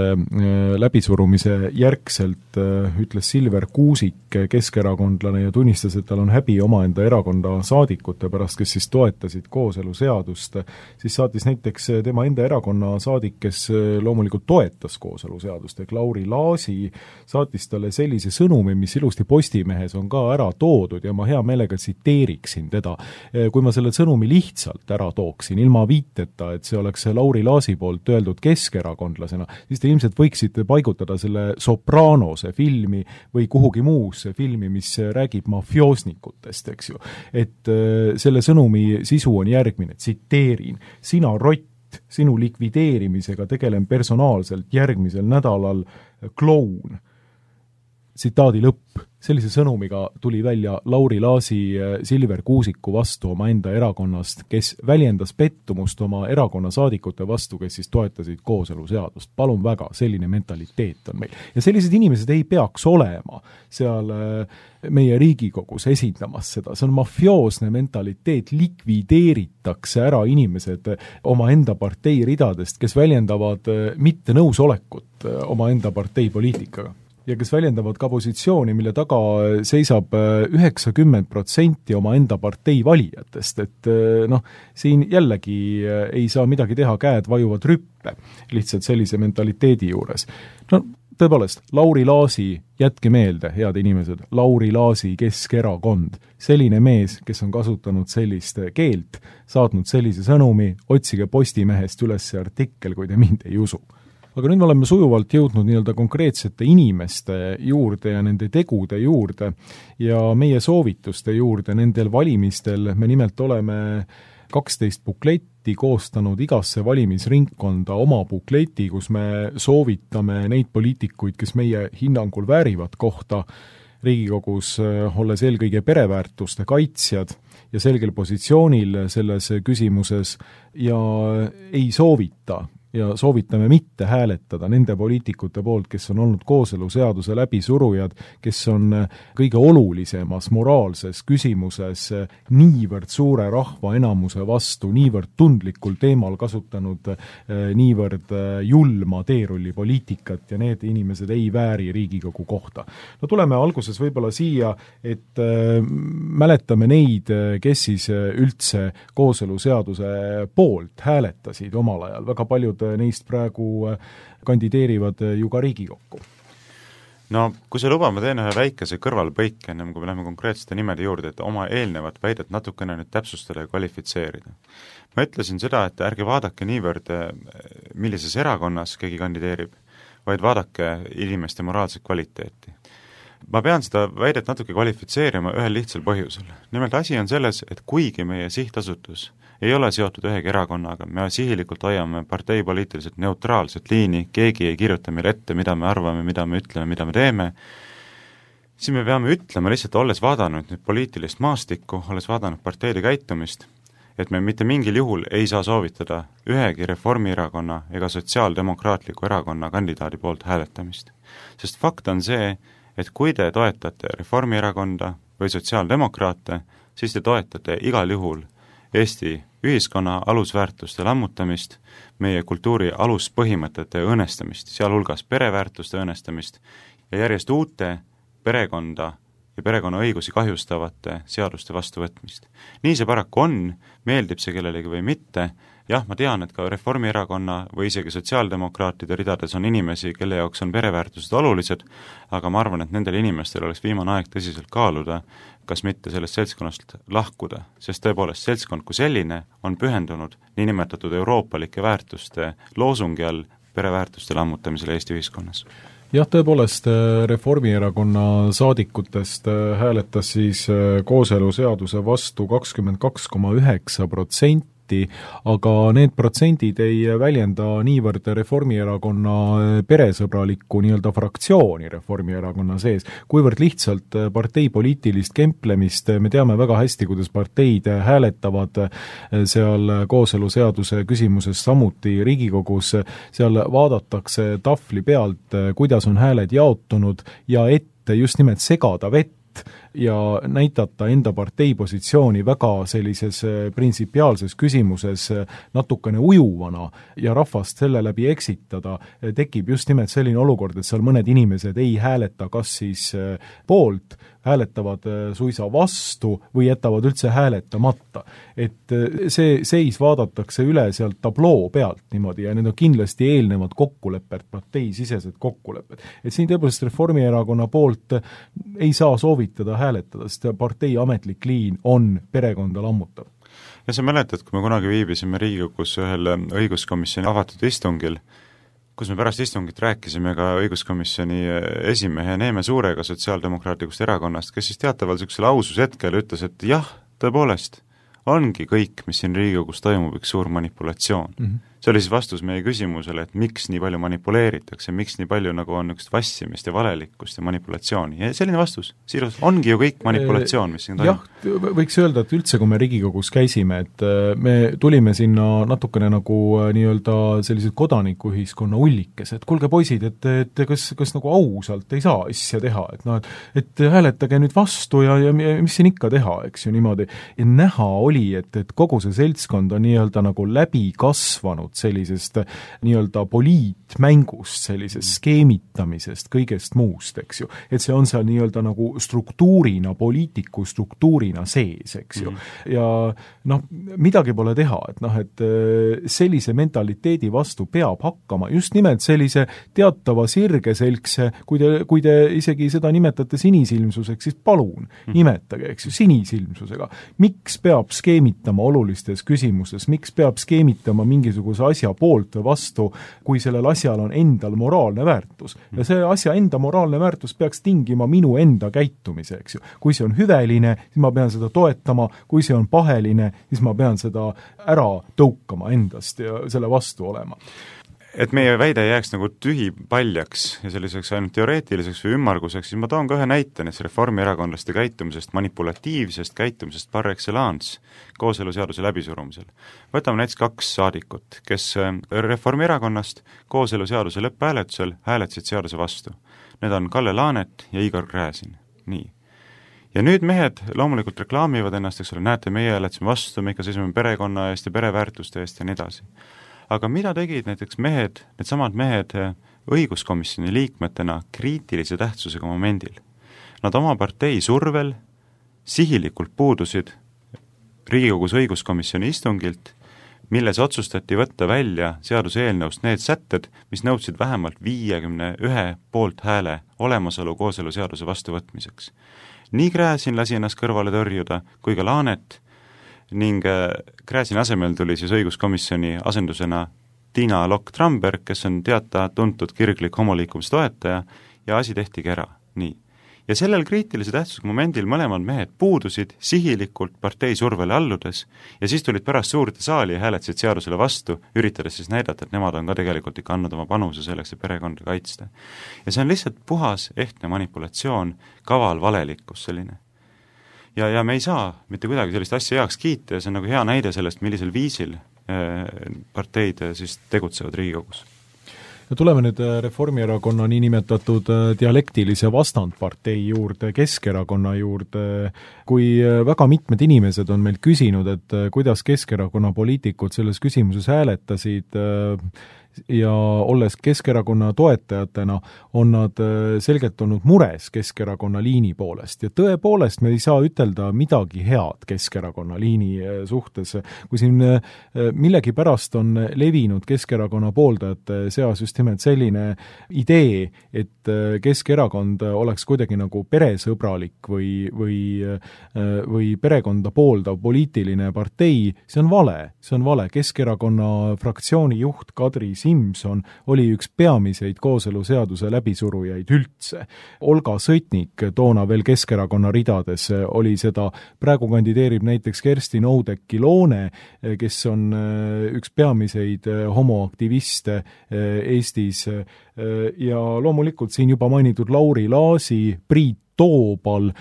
läbisurumise järgselt ütles Silver Kuusik, keskerakondlane, ja tunnistas, et tal on häbi omaenda erakonda saadikute pärast, kes siis toetasid kooseluseadust, siis saatis näiteks tema enda erakonna saadik, kes loomulikult toetas kooseluseadust, ehk Lauri Laasi, saatis talle sellise sõnumi, mis ilusti Postimehes on ka ära toodud ja ma hea meelega tsiteeriksin teda. Kui ma selle sõnumi lihtsalt ära tooksin, ilma viiteta, et see oleks Lauri Laasi poolt öeldud keskerakondlasena, siis te ilmselt võiksite paigutada selle Sopranose filmi või kuhugi muusse filmi, mis räägib mafioosnikutest, eks ju. Et selle sõnumi sisu on järgmine, tsiteerin, sina rott, sinu likvideerimisega tegelen personaalselt järgmisel nädalal kloun. Tsitaadi lõpp. Sellise sõnumiga tuli välja Lauri Laasi Silver Kuusiku vastu oma enda erakonnast, kes väljendas pettumust oma erakonna saadikute vastu, kes siis toetasid kooseluseadust. Palun väga, selline mentaliteet on meil. Ja sellised inimesed ei peaks olema seal meie Riigikogus esindamas seda. See on mafioosne mentaliteet, likvideeritakse ära inimesed oma enda partei ridadest, kes väljendavad mitte nõusolekut oma enda partei poliitikaga. Ja kes väljendavad ka positsiooni, mille taga seisab 90% oma enda partei valijatest, et siin jällegi ei saa midagi teha, käed vajuvad rüppe lihtsalt sellise mentaliteedi juures. Tõepoolest, Lauri Laasi, jätke meelde, head inimesed, Lauri Laasi Keskerakond, selline mees, kes on kasutanud sellist keelt, saatnud sellise sõnumi, otsige Postimehest üles see artikkel, kui te mind ei usu. Aga nüüd me oleme sujuvalt jõudnud nii-öelda konkreetsete inimeste juurde ja nende tegude juurde ja meie soovituste juurde nendel valimistel. Me nimelt oleme 12 bukletti koostanud igasse valimisringkonda oma bukleti, kus me soovitame neid poliitikuid, kes meie hinnangul väärivad kohta Riigikogus, olles eelkõige pereväärtuste kaitsjad ja selgel positsioonil selles küsimuses ja ei soovita ja soovitame mitte hääletada nende poliitikute poolt, kes on olnud kooseluseaduse läbisurujad, kes on kõige olulisemas moraalses küsimuses niivõrd suure rahva enamuse vastu, niivõrd tundlikul teemal kasutanud niivõrd julma teerullipoliitikat ja need inimesed ei vääri Riigikogu kohta. No tuleme alguses võib-olla siia, et mäletame neid, kes siis üldse kooseluseaduse poolt hääletasid omal ajal. Väga paljud neist praegu kandideerivad ju ka Riigikokku. No, kui sa lubad, ma teen ühe väikese kõrvalpõike, ennem kui me läheme konkreetsete nimede juurde, et oma eelnevat väidet natukene nüüd täpsustada ja kvalifitseerida. Ma ütlesin seda, et ärge vaadake niivõrd, millises erakonnas keegi kandideerib, vaid vaadake inimeste moraalset kvaliteeti. Ma pean seda väidet natuke kvalifitseerima ühel lihtsal põhjusel. Nimelt asi on selles, et kuigi meie sihtasutus ei ole seotud ühegi erakonnaga, me sihilikult hoiame parteipoliitiliselt neutraalset liini, keegi ei kirjuta meile ette, mida me arvame, mida me ütleme, mida me teeme, siis me peame ütlema lihtsalt, olles vaadanud nüüd poliitilist maastikku, olles vaadanud parteide käitumist, et me mitte mingil juhul ei saa soovitada ühegi Reformierakonna ega Sotsiaaldemokraatliku erakonna kandidaadi poolt hääletamist. Sest fakt on see, et kui te toetate Reformierakonda või sotsiaaldemokraate, siis te toetate igal juhul Eesti ühiskonna alusväärtuste lammutamist, meie kultuuri aluspõhimõtete õõnestamist, sealhulgas pereväärtuste õõnestamist ja järjest uute perekonda ja perekonna õigusi kahjustavate seaduste vastuvõtmist. Nii see paraku on, meeldib see kellelegi või mitte, jah, ma tean, et ka Reformierakonna või isegi sotsiaaldemokraatide ridades on inimesi, kelle jaoks on pereväärtused olulised, aga ma arvan, et nendel inimestel oleks viimane aeg tõsiselt kaaluda, kas mitte sellest seltskonnast lahkuda, sest tõepoolest seltskond kui selline on pühendunud niinimetatud euroopalike väärtuste loosungi all pereväärtuste lammutamisele Eesti ühiskonnas. Jah, tõepoolest Reformierakonna saadikutest hääletas siis kooseluseaduse vastu 22,9%, aga need protsendid ei väljenda niivõrd Reformierakonna peresõbralikku nii-öelda fraktsiooni Reformierakonna sees, kuivõrd lihtsalt parteipoliitilist kemplemist. Me teame väga hästi, kuidas parteid hääletavad seal kooseluseaduse küsimuses samuti Riigikogus, seal vaadatakse tahvli pealt, kuidas on hääled jaotunud ja ette just nimelt segada vett ja näidata enda partei positsiooni väga sellises printsipiaalses küsimuses natukene ujuvana ja rahvast selle läbi eksitada, tekib just nimelt selline olukord, et seal mõned inimesed ei hääleta kas siis poolt, hääletavad suisa vastu või jätavad üldse hääletamata. Et see seis vaadatakse üle sealt tabloo pealt niimoodi ja need on kindlasti eelnevad kokkulepped, parteisisesed kokkulepped. Et siin tõepoolest Reformierakonna poolt ei saa soovitada hääletada, sest partei ametlik liin on perekonda lammutav. Ja sa mäletad, kui me kunagi viibisime Riigikogus ühel õiguskomisjoni avatud istungil, kus me pärast istungit rääkisime ka õiguskomisjoni esimehe Neeme Suurega sotsiaaldemokraatlikust erakonnast, kes siis teataval sellisel ausushetkel ütles, et jah, tõepoolest, ongi kõik, mis siin Riigikogus toimub, üks suur manipulatsioon. See oli siis vastus meie küsimusele, et miks nii palju manipuleeritakse, miks nii palju nagu on üks vassimist ja valelikkust ja manipulatsiooni. Ja selline vastus, siirus, ongi ju kõik manipulatsioon, mis siin toimub. Jah, võiks öelda, et üldse, kui me Riigikogus käisime, et me tulime sinna natukene nagu nii-öelda sellised kodanikuühiskonna ullikes, et kuulge poisid, et kas nagu ausalt ei saa asja teha, et noh, et hääletage nüüd vastu ja mis siin ikka teha, eks ju niimoodi. Ja näha oli, et kogu see seltskond on nii-öelda nagu läbi kasvanud sellisest nii-öelda poliitmängust, sellisest skeemitamisest, kõigest muust, eks ju. Et see on seal nii-öelda nagu struktuurina, poliitiku struktuurina sees, eks ju. Ja noh, midagi pole teha, et noh, et sellise mentaliteedi vastu peab hakkama just nimelt sellise teatava sirgeselgse, kui te isegi seda nimetate sinisilmsuseks, siis palun, nimetage, eks ju, sinisilmsusega. Miks peab skeemitama olulistes küsimustes, miks peab skeemitama mingisuguse asja poolt või vastu, kui sellel asjal on endal moraalne väärtus. Ja see asja enda moraalne väärtus peaks tingima minu enda käitumise, eks ju. Kui see on hüveline, siis ma pean seda toetama, kui see on paheline, siis ma pean seda ära tõukama endast ja selle vastu olema. et meie väide jääks nagu tühipaljaks ja selliseks ainult teoreetiliseks või ümmarguseks, siis ma toon ka ühe näite näiteks reformierakondlaste käitumisest, manipulatiivsest käitumisest par excellence kooseluseaduse läbisurumisel. Võtame näiteks 2 saadikut, kes Reformierakonnast kooseluseaduse lõpphääletusel hääletasid seaduse vastu. Need on Kalle Laanet ja Igor Gräzin. Nii. Ja nüüd mehed loomulikult reklaamivad ennast, eks ole, näete, meie hääletasime vastu, me ikka seisime perekonna eest ja pereväärtuste eest ja nii edasi. Aga mida tegid näiteks mehed, needsamad mehed õiguskomisjoni liikmetena kriitilise tähtsusega momendil? Nad oma partei survel sihilikult puudusid Riigikogus õiguskomisjoni istungilt, milles otsustati võtta välja seaduseelnõust need sätted, mis nõudsid vähemalt 51 poolthääle olemasolu kooseluseaduse vastuvõtmiseks. Nii Gräzin lasi ennast kõrvale tõrjuda kui ka Laanet ning Gräzini asemel tuli siis õiguskomisjoni asendusena Tiina Lokk-Tramberg, kes on tuntud kirglik homoliikumise toetaja ja asi tehtigi ära. Nii. Ja sellel kriitilise tähtsusega momendil mõlemad mehed puudusid sihilikult partei survele alludes ja siis tulid pärast suurde saali ja hääletasid seadusele vastu, üritades siis näidata, et nemad on ka tegelikult ikka andnud oma panuse selleks, et perekonda kaitsta. Ja see on lihtsalt puhas ehtne manipulatsioon, kaval valelikkus selline. Ja me ei saa mitte kuidagi sellist asja heaks kiita ja see on nagu hea näide sellest, millisel viisil parteid siis tegutsevad Riigikogus. Ja tuleme nüüd Reformierakonna niinimetatud dialektilise vastandpartei juurde, Keskerakonna juurde. Kui väga mitmed inimesed on meil küsinud, et kuidas Keskerakonna poliitikud selles küsimuses hääletasid ja olles Keskerakonna toetajatena, on nad selgelt olnud mures Keskerakonna liini poolest. Ja tõepoolest me ei saa ütelda midagi head Keskerakonna liini suhtes. Kui siin millegi pärast on levinud Keskerakonna pooldajate seas just nimelt selline idee, et Keskerakond oleks kuidagi nagu peresõbralik või perekonda pooldav poliitiline partei, see on vale. See on vale. Keskerakonna fraktsiooni juht Kadri Simson oli üks peamiseid kooseluseaduse läbisurujaid üldse. Olga Sõtnik, toona veel Keskerakonna ridades, oli seda, praegu kandideerib näiteks Kerstin Oudekki-Loone, kes on üks peamiseid homoaktiviste Eestis ja loomulikult siin juba mainitud Lauri Laasi, Priit Toobal,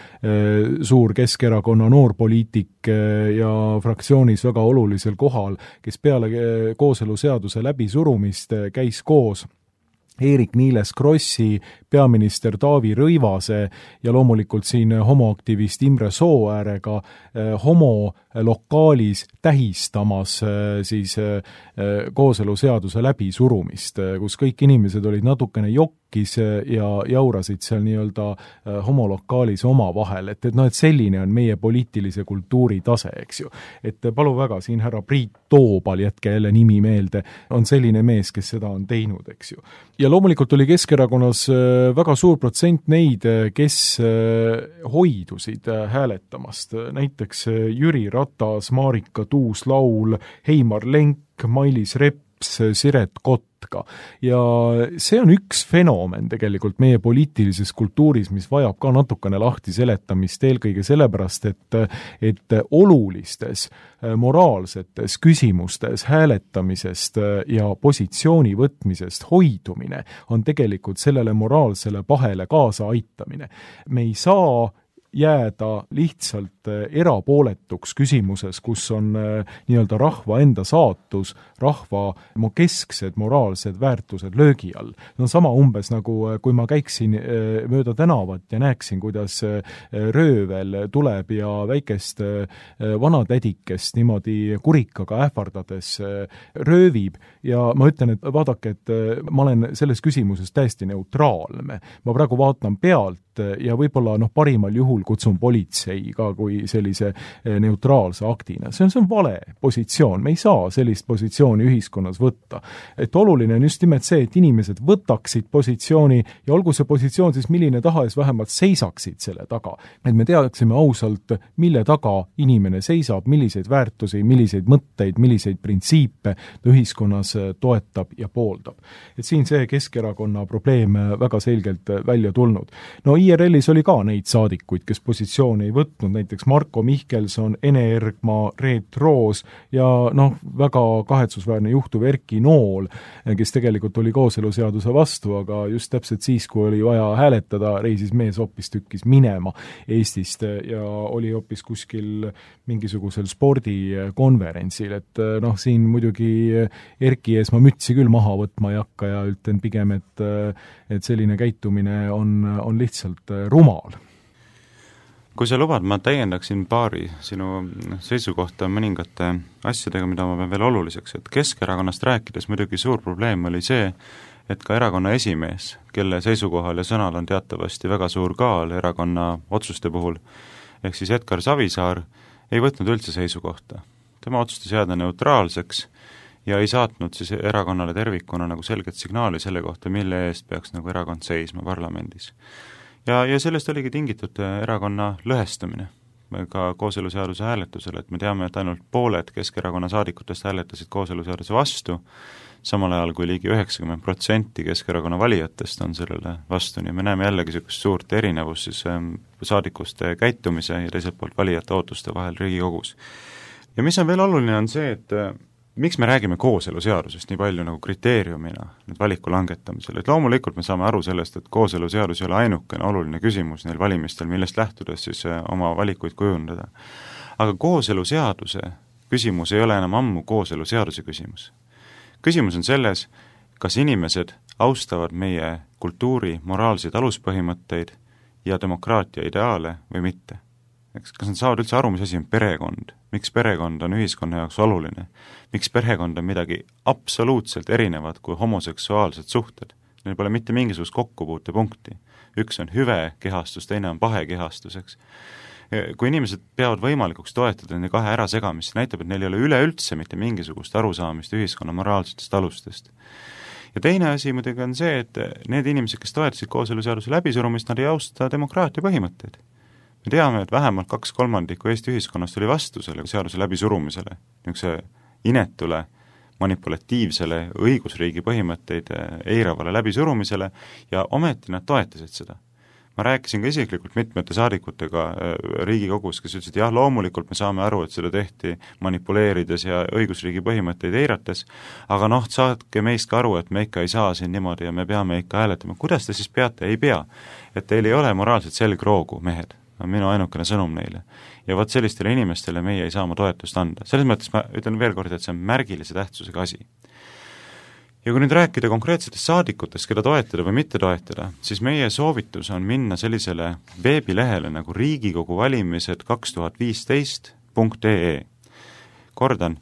suur Keskerakonna noorpoliitik ja fraktsioonis väga olulisel kohal, kes peale kooseluseaduse läbisurumist käis koos Eerik-Niiles Krossi, peaminister Taavi Rõivase ja loomulikult siin homoaktivist Imre Sooäärega homolokaalis tähistamas siis kooseluseaduse läbisurumist, kus kõik inimesed olid natukene jokkis ja jaurasid seal nii-öelda homolokaalis oma vahel, et selline on meie poliitilise kultuuri tase, eks ju. Et palu väga, siin härra Priit Toobal, jätke jälle nimi meelde, on selline mees, kes seda on teinud, eks ju. Ja loomulikult oli Keskerakonnas väga suur protsent neid, kes hoidusid hääletamast. Näiteks Jüri Ratas, Marika Tuus-Laul, Heimar Lenk, Mailis Reps, Siret Kotka. Ja see on üks fenomen tegelikult meie poliitilises kultuuris, mis vajab ka natukene lahti seletamist, eelkõige sellepärast, et olulistes moraalsetes küsimustes hääletamisest ja positsiooni võtmisest hoidumine on tegelikult sellele moraalsele pahele kaasa aitamine. Me ei saa jääda lihtsalt erapooletuks küsimuses, kus on nii-öelda rahva enda saatus, rahva kesksed moraalsed väärtused löögi all. No sama umbes nagu kui ma käiksin mööda tänavat ja näeksin, kuidas röövel tuleb ja väikest vanatädikest niimoodi kurikaga ähvardades röövib ja ma ütlen, et vaadake, et ma olen selles küsimuses täiesti neutraalne. Ma praegu vaatan pealt ja võib-olla parimal juhul kutsun politsei ka kui sellise neutraalse aktina. See on vale positsioon. Me ei saa sellist positsiooni ühiskonnas võtta. Et oluline on just nimelt see, et inimesed võtaksid positsiooni ja olgu see positsioon siis milline tahes, vähemalt seisaksid selle taga. Et me teaksime ausalt, mille taga inimene seisab, milliseid väärtusi, milliseid mõtteid, milliseid printsiipe ta ühiskonnas toetab ja pooldab. Et siin see Keskerakonna probleem väga selgelt välja tulnud. No IRL-is oli ka neid saadikuid, kes positsiooni ei võtnud, näiteks Marko Mihkelson, Ene Ergma, Reet Roos ja väga kahetsusväärne juhtuv Erki Nool, kes tegelikult oli kooseluseaduse vastu, aga just täpselt siis, kui oli vaja hääletada, reisis mees hoopistükkis minema Eestist ja oli hoopis kuskil mingisugusel spordikonverentsil, et siin muidugi Erki ees ma mütsi küll maha võtma ei hakka ja ütlen pigem, et selline käitumine on lihtsalt rumal. Kui sa lubad, ma täiendaksin paari sinu seisukohta mõningate asjadega, mida ma pean veel oluliseks, et Keskerakonnast rääkides muidugi suur probleem oli see, et ka erakonna esimees, kelle seisukohal ja sõnal on teatavasti väga suur kaal erakonna otsuste puhul, ehk siis Edgar Savisaar, ei võtnud üldse seisukohta. Tema otsustas jääda neutraalseks ja ei saatnud siis erakonnale tervikuna nagu selget signaali selle kohta, mille eest peaks nagu erakond seisma parlamendis. Ja sellest oligi tingitud erakonna lõhestumine ka kooseluseaduse hääletusel, et me teame, et ainult pooled Keskerakonna saadikutest hääletasid kooseluseaduse vastu, samal ajal kui ligi 90% Keskerakonna valijatest on sellele vastu, nii me näeme jällegi niisugust suurt erinevust siis saadikuste käitumise ja teiselt poolt valijate ootuste vahel Riigikogus. Ja mis on veel oluline, on see, et miks me räägime kooseluseadusest nii palju nagu kriteeriumina nüüd valiku langetamisel, et loomulikult me saame aru sellest, et kooseluseadus ei ole ainukene oluline küsimus neil valimistel, millest lähtudes siis oma valikuid kujundada. Aga kooseluseaduse küsimus ei ole enam ammu kooseluseaduse küsimus. Küsimus on selles, kas inimesed austavad meie kultuuri moraalseid aluspõhimõtteid ja demokraatia ideaale või mitte. Kas nad saavad üldse aru, mis asi on perekond? Miks perekond on ühiskonna jaoks oluline? Miks perekond on midagi absoluutselt erinevat kui homoseksuaalsed suhted? Neil pole mitte mingisugust kokkupuutepunkti. Üks on hüve kehastus, teine on pahe kehastuseks. Kui inimesed peavad võimalikuks toetada nende kahe ärasegamist, näitab, et neil ei ole üleüldse mitte mingisugust arusaamist ühiskonna moraalsetest alustest. Ja teine asi muidugi on see, et need inimesed, kes toetasid kooseluseaduse läbisurumist, nad ei austa demokraatia põhimõtteid. Me teame, et vähemalt 2/3 Eesti ühiskonnast oli vastu selle seaduse läbisurumisele, niisuguse inetule, manipulatiivsele õigusriigi põhimõtteid eiravale läbisurumisele ja ometi nad toetasid seda. Ma rääkisin ka isiklikult mitmete saadikutega Riigikogus, kes ütlesid, jah, loomulikult me saame aru, et seda tehti manipuleerides ja õigusriigi põhimõtteid eirates, aga saadke meist ka aru, et me ikka ei saa siin niimoodi ja me peame ikka hääletama. Kuidas te siis peate? Ei pea. Et teil ei ole moraalset selgroogu, mehed. On minu ainukene sõnum neile. Ja vot sellistele inimestele meie ei saa oma toetust anda. Selles mõttes ma ütlen veel kord, et see on märgilise tähtsusega asi. Ja kui nüüd rääkida konkreetsetest saadikutest, keda toetada või mitte toetada, siis meie soovitus on minna sellisele veebilehele nagu riigikoguvalimised2015.ee. Kordan,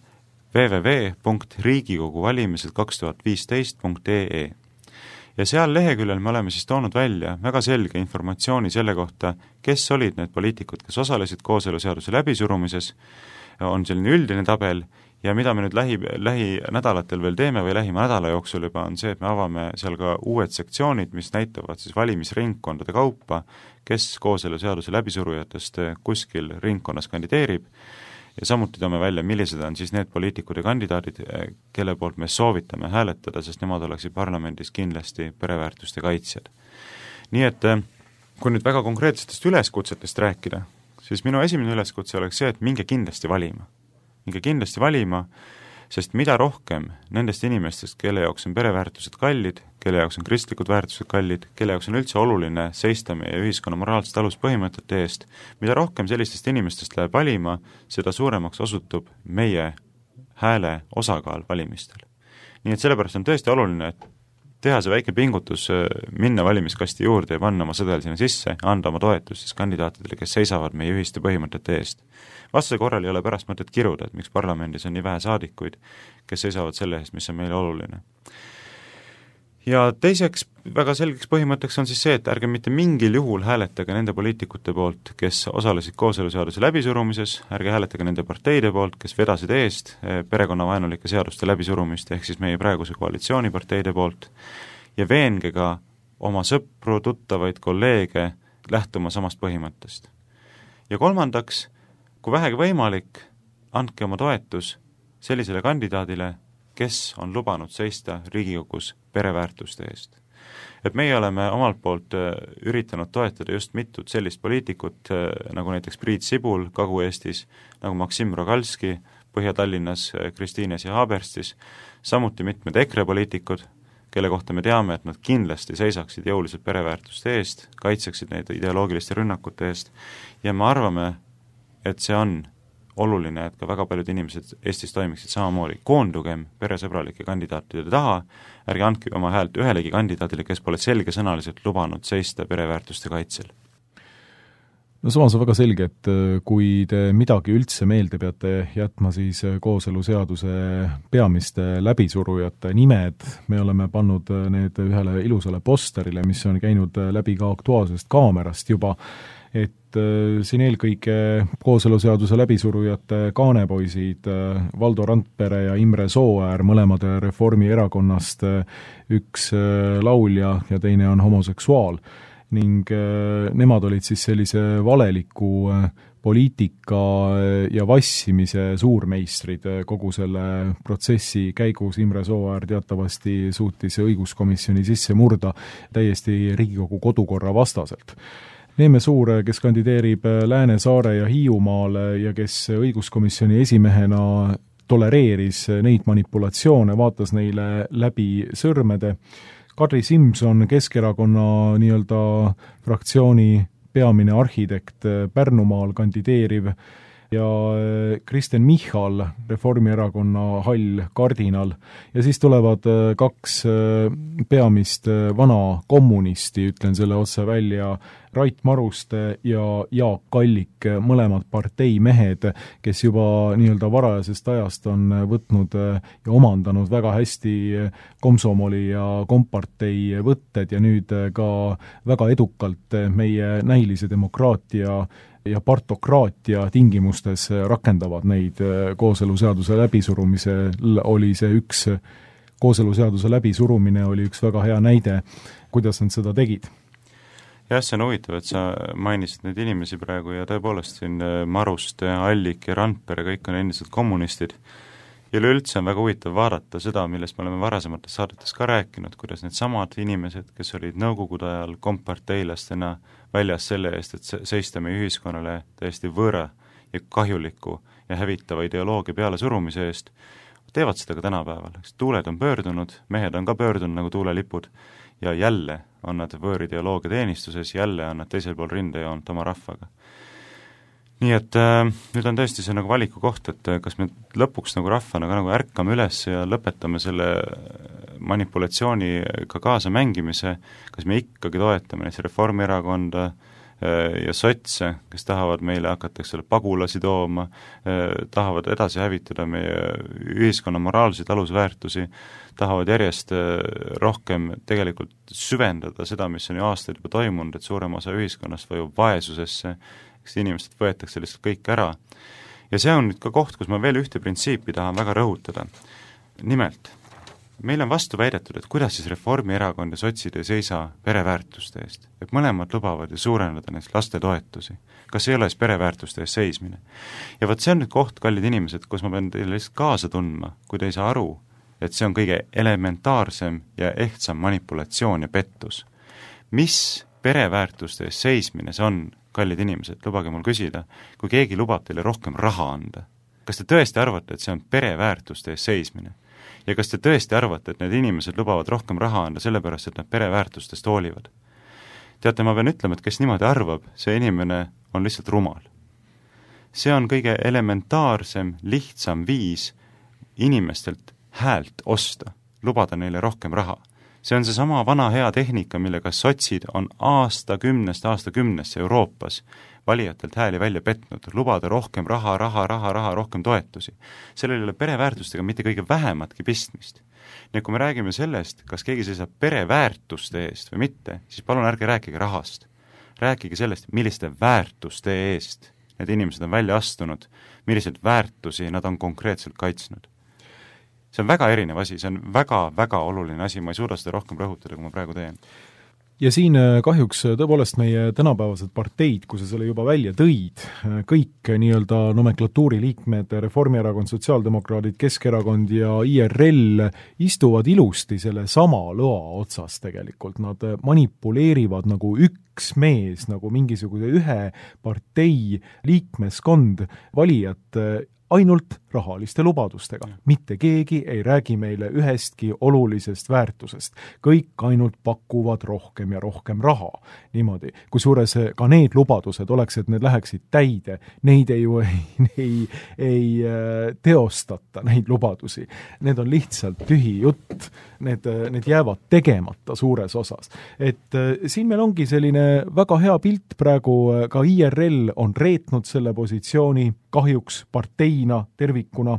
www.riigikoguvalimised2015.ee. Ja seal leheküljel me oleme siis toonud välja väga selge informatsiooni selle kohta, kes olid need poliitikud, kes osalesid kooseluseaduse läbisurumises, on selline üldine tabel ja mida me nüüd lähinädalatel veel teeme või lähima nädala jooksul juba on see, et me avame seal ka uued sektsioonid, mis näitavad siis valimisringkondade kaupa, kes kooseluseaduse läbisurujatest kuskil ringkonnas kandideerib ja samuti toome välja, millised on siis need poliitikud ja kandidaadid, kelle poolt me soovitame hääletada, sest nemad oleksid parlamendis kindlasti pereväärtuste kaitsjad. Nii et kui nüüd väga konkreetsetest üleskutsetest rääkida, siis minu esimene üleskutse oleks see, et minge kindlasti valima. Minge kindlasti valima, sest mida rohkem nendest inimestest, kelle jaoks on pereväärtused kallid, kelle jaoks on kristlikud väärtused kallid, kelle jaoks on üldse oluline seista meie ühiskonna moraalsete aluspõhimõtete eest, mida rohkem sellistest inimestest läheb valima, seda suuremaks osutub meie hääle osakaal valimistel. Nii et sellepärast on tõesti oluline, et teha see väike pingutus, minna valimiskasti juurde ja panna oma sõdel sinna sisse, anda oma toetust siis kandidaatidele, kes seisavad meie ühiste põhimõtete eest. Vastase korral ei ole pärast mõtet kiruda, et miks parlamendis on nii vähe saadikuid, kes seisavad selle eest, mis on meile oluline. Ja teiseks väga selgeks põhimõtteks on siis see, et ärge mitte mingil juhul hääletage nende poliitikute poolt, kes osalesid kooseluseaduse läbisurumises, ärge hääletage nende parteide poolt, kes vedasid eest perekonnavaenulike seaduste läbisurumist, ehk siis meie praeguse koalitsiooniparteide poolt, ja veenge ka oma sõpru, tuttavaid, kolleege lähtuma samast põhimõttest. Ja kolmandaks, kui vähegi võimalik, andke oma toetus sellisele kandidaadile, kes on lubanud seista Riigikogus pereväärtuste eest. et meie oleme omalt poolt üritanud toetada just mitut sellist poliitikut, nagu näiteks Priit Sibul Kagu-Eestis, nagu Maksim Rogalski Põhja-Tallinnas, Kristiines ja Haaberstis, samuti mitmed EKRE poliitikud, kelle kohta me teame, et nad kindlasti seisaksid jõuliselt pereväärtuste eest, kaitseksid neid ideoloogiliste rünnakute eest ja me arvame, et see on oluline, et ka väga paljud inimesed Eestis toimiksid samamoodi. Koondugem peresõbralike kandidaatide taha, ärge andke oma häält ühelegi kandidaadile, kes pole selgesõnaliselt lubanud seista pereväärtuste kaitsel. No samas on väga selge, et kui te midagi üldse meelde peate jätma, siis kooseluseaduse peamiste läbisurujate nimed, me oleme pannud need ühele ilusale posterile, mis on käinud läbi ka Aktuaalsest Kaamerast juba, et siin eelkõige kooseluseaduse läbisurujate kaanepoisid Valdo Randpere ja Imre Sooäär, mõlemad Reformierakonnast, üks laulja ja teine on homoseksuaal, ning nemad olid siis sellise valeliku poliitika ja vassimise suurmeistrid kogu selle protsessi käigus. Imre Sooäär teatavasti suutis õiguskomisjoni sisse murda täiesti Riigikogu kodukorra vastaselt. Neeme Suur, kes kandideerib Lääne-Saare ja Hiiumaale ja kes õiguskomisjoni esimehena tolereeris neid manipulatsioone, vaatas neile läbi sõrmede. Kadri Simson, Keskerakonna nii-öelda fraktsiooni peamine arhitekt Pärnumaal kandideeriv ja Kristen Michal, Reformierakonna hall kardinal. Ja siis tulevad kaks peamist vana kommunisti, ütlen selle otse välja, Rait Maruste ja Jaak Kallik, mõlemad parteimehed, kes juba nii-öelda varajasest ajast on võtnud ja omandanud väga hästi komsomoli ja kompartei võtted ja nüüd ka väga edukalt meie näilise demokraatia ja partokraatia tingimustes rakendavad neid. Kooseluseaduse läbisurumisel oli see kooseluseaduse läbisurumine oli üks väga hea näide, kuidas nad seda tegid. Jah, see on huvitav, et sa mainisid neid inimesi praegu ja tõepoolest siin Maruste, Allik ja Randpere, kõik on endiselt kommunistid. Ja üleüldse on väga huvitav vaadata seda, millest me oleme varasemates saadetes ka rääkinud, kuidas need samad inimesed, kes olid nõukogude ajal komparteilastena väljas selle eest, et seista meie ühiskonnale täiesti võõra ja kahjuliku ja hävitava ideoloogia peale surumise eest, teevad seda ka tänapäeval. Tuuled on pöördunud, mehed on ka pöördunud nagu tuulelipud ja jälle on nad võõrideoloogia teenistuses, jälle on nad teisel pool rindejoont oma rahvaga. Nii et nüüd on tõesti see nagu valiku koht, et kas me lõpuks nagu rahvana ka nagu ärkame üles ja lõpetame selle manipulatsiooniga kaasa mängimise, kas me ikkagi toetame näiteks Reformierakonda ja sotse, kes tahavad meile hakata pagulasi tooma, tahavad edasi hävitada meie ühiskonna moraalseid alusväärtusi, tahavad järjest rohkem tegelikult süvendada seda, mis on ju aastaid juba toimunud, et suurem osa ühiskonnast vajub vaesusesse, eks inimesed võetakse lihtsalt kõik ära. Ja see on nüüd ka koht, kus ma veel ühte printsiipi tahan väga rõhutada. Nimelt, meil on vastu väidetud, et kuidas siis Reformierakond ja sotsid ei seisa pereväärtuste eest. Et mõlemad lubavad ju suurendada neist lastetoetusi. Kas ei ole siis pereväärtuste eest seismine? Ja võt see on nüüd koht, kallid inimesed, kus ma pean teile lihtsalt kaasa tundma, kui te ei saa aru, et see on kõige elementaarsem ja ehtsam manipulatsioon ja pettus. Mis pereväärtuste eest seismine see on, kallid inimesed, lubage mul küsida, kui keegi lubab teile rohkem raha anda? Kas te tõesti arvate, et see on pereväärtuste eest seismine? Ja kas te tõesti arvate, et need inimesed lubavad rohkem raha anda sellepärast, et nad pereväärtustest hoolivad? Teate, ma pean ütlema, et kes niimoodi arvab, see inimene on lihtsalt rumal. See on kõige elementaarsem, lihtsam viis inimestelt häält osta, lubada neile rohkem raha. See on seesama vana hea tehnika, millega sotsid on aastakümnesse Euroopas valijatelt hääli välja petnud, lubada rohkem raha, rohkem toetusi. Sellel ei ole pereväärtustega mitte kõige vähematki pistmist. Nii kui me räägime sellest, kas keegi seisab pereväärtuste eest või mitte, siis palun ärge rääkige rahast. Rääkige sellest, milliste väärtuste eest need inimesed on välja astunud, milliseid väärtusi nad on konkreetselt kaitsnud. See on väga erinev asi, see on väga-väga oluline asi, ma ei suuda seda rohkem rõhutada, kui ma praegu teen. ja siin kahjuks tõepoolest meie tänapäevased parteid, kui sa selle juba välja tõid, kõik nii-öelda nomenklatuuri liikmed, Reformierakond, Sotsiaaldemokraadid, Keskerakond ja IRL istuvad ilusti selle sama lõa otsas tegelikult. Nad manipuleerivad nagu üks mees, nagu mingisuguse ühe partei liikmeskond valijat ainult rahaliste lubadustega. Mitte keegi ei räägi meile ühestki olulisest väärtusest. Kõik ainult pakuvad rohkem ja rohkem raha. Niimoodi. Kusjuures ka need lubadused oleks, et need läheksid täide. Neid ei teostata, neid lubadusi. Need on lihtsalt tühi jutt. Need jäävad tegemata suures osas. Et siin meil ongi selline väga hea pilt praegu, ka IRL on reetnud selle positsiooni kahjuks parteina tervikuna,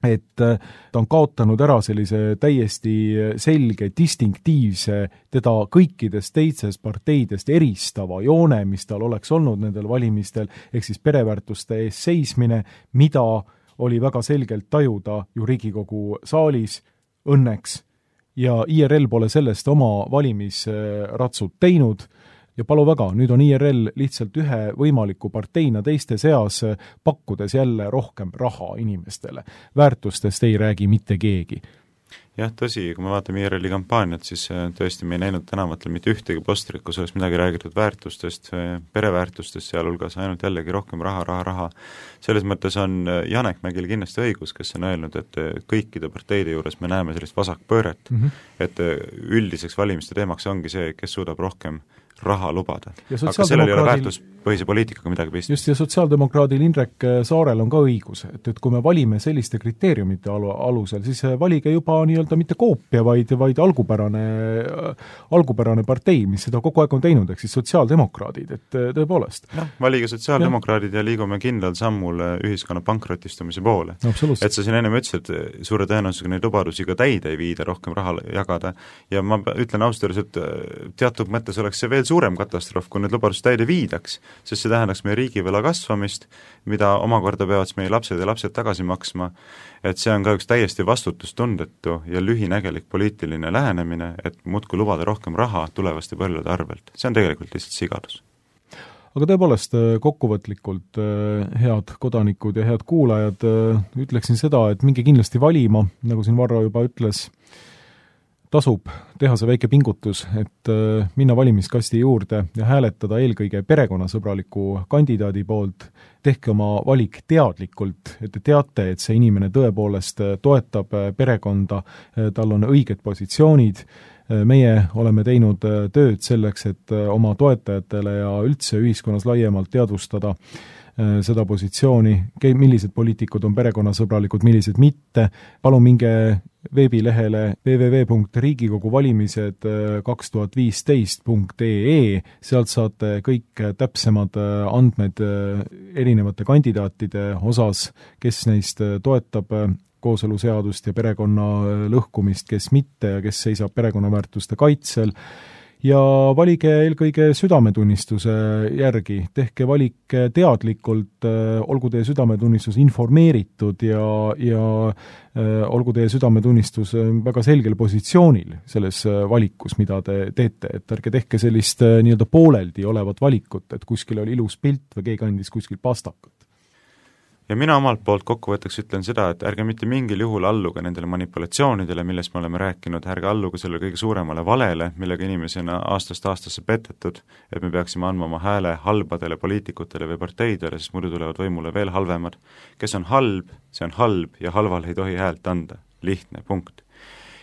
et ta on kaotanud ära sellise täiesti selge, distinktiivse, teda kõikidest teistest parteidest eristava joone, mis tal oleks olnud nendel valimistel, ehk siis pereväärtuste ees seismine, mida oli väga selgelt tajuda ju Riigikogu saalis õnneks, ja IRL pole sellest oma valimisratsud teinud, ja palu väga, nüüd on IRL lihtsalt ühe võimaliku parteina teiste seas, pakkudes jälle rohkem raha inimestele. Väärtustest ei räägi mitte keegi. Jah, tõsi, kui me vaatame IRL-i kampaaniat, siis tõesti me ei näinud tänavatel mitte ühtegi postrit, kus oleks midagi räägitud väärtustest, pereväärtustest, sealhulgas ainult jällegi rohkem raha. Selles mõttes on Janek Mägil kindlasti õigus, kes on öelnud, et kõikide parteide juures me näeme sellist vasakpööret, et üldiseks valimiste teemaks ongi see, kes suudab rohkem raha lubada. Aga sellel ei ole väärtuspõhise poliitikaga midagi pistmist. Just, ja sotsiaaldemokraadil Indrek Saarel on ka õigus, et kui me valime selliste kriteeriumite alusel, siis valige juba nii-öelda mitte koopia, vaid algupärane partei, mis seda kogu aeg on teinud, ehk siis sotsiaaldemokraadid, et tõepoolest. Valige sotsiaaldemokraadid ja liigume kindlal sammul ühiskonna pankrotistumise poole. Et sa siin ennem ütlesid, et suure tõenäosusega neid lubadusi ka täide ei viida rohkem raha jagada ja ma ütlen ausalt, et teatud mõttes oleks see veel suurem katastroof, kui need lubadused täide viidaks, sest see tähendaks meie riigivõla kasvamist, mida omakorda peavad meie lapsed ja lapsed tagasi maksma, et see on ka üks täiesti vastutustundetu ja lühinägelik poliitiline lähenemine, et muudkui lubada rohkem raha tulevaste põlvede arvelt. See on tegelikult lihtsalt sigadus. Aga tõepoolest kokkuvõtlikult, head kodanikud ja head kuulajad, ütleksin seda, et minge kindlasti valima, nagu siin Varro juba ütles, tasub teha see väike pingutus, et minna valimiskasti juurde ja hääletada eelkõige perekonnasõbraliku kandidaadi poolt. Tehke oma valik teadlikult, et te teate, et see inimene tõepoolest toetab perekonda, tal on õiged positsioonid. Meie oleme teinud tööd selleks, et oma toetajatele ja üldse ühiskonnas laiemalt teadvustada seda positsiooni, millised poliitikud on perekonnasõbralikud, millised mitte. Palun minge veebilehele www.riigikoguvalimised2015.ee, sealt saate kõik täpsemad andmed erinevate kandidaatide osas, kes neist toetab kooseluseadust ja perekonna lõhkumist, kes mitte ja kes seisab perekonnaväärtuste kaitsel. Ja valige eelkõige südametunnistuse järgi, tehke valik teadlikult, olgu teie südametunnistus informeeritud ja olgu teie südametunnistus väga selgel positsioonil selles valikus, mida te teete, et ärge tehke sellist nii-öelda pooleldi olevat valikut, et kuskil oli ilus pilt või keegi andis kuskil pastakat. Ja mina omalt poolt kokkuvõtteks ütlen seda, et ärge mitte mingil juhul alluge nendele manipulatsioonidele, millest me oleme rääkinud, ärge alluge selle kõige suuremale valele, millega inimesena aastast aastasse petetud, et me peaksime andma oma hääle halbadele poliitikutele või parteidele, sest muidu tulevad võimule veel halvemad. Kes on halb, see on halb ja halval ei tohi häält anda. Lihtne, punkt.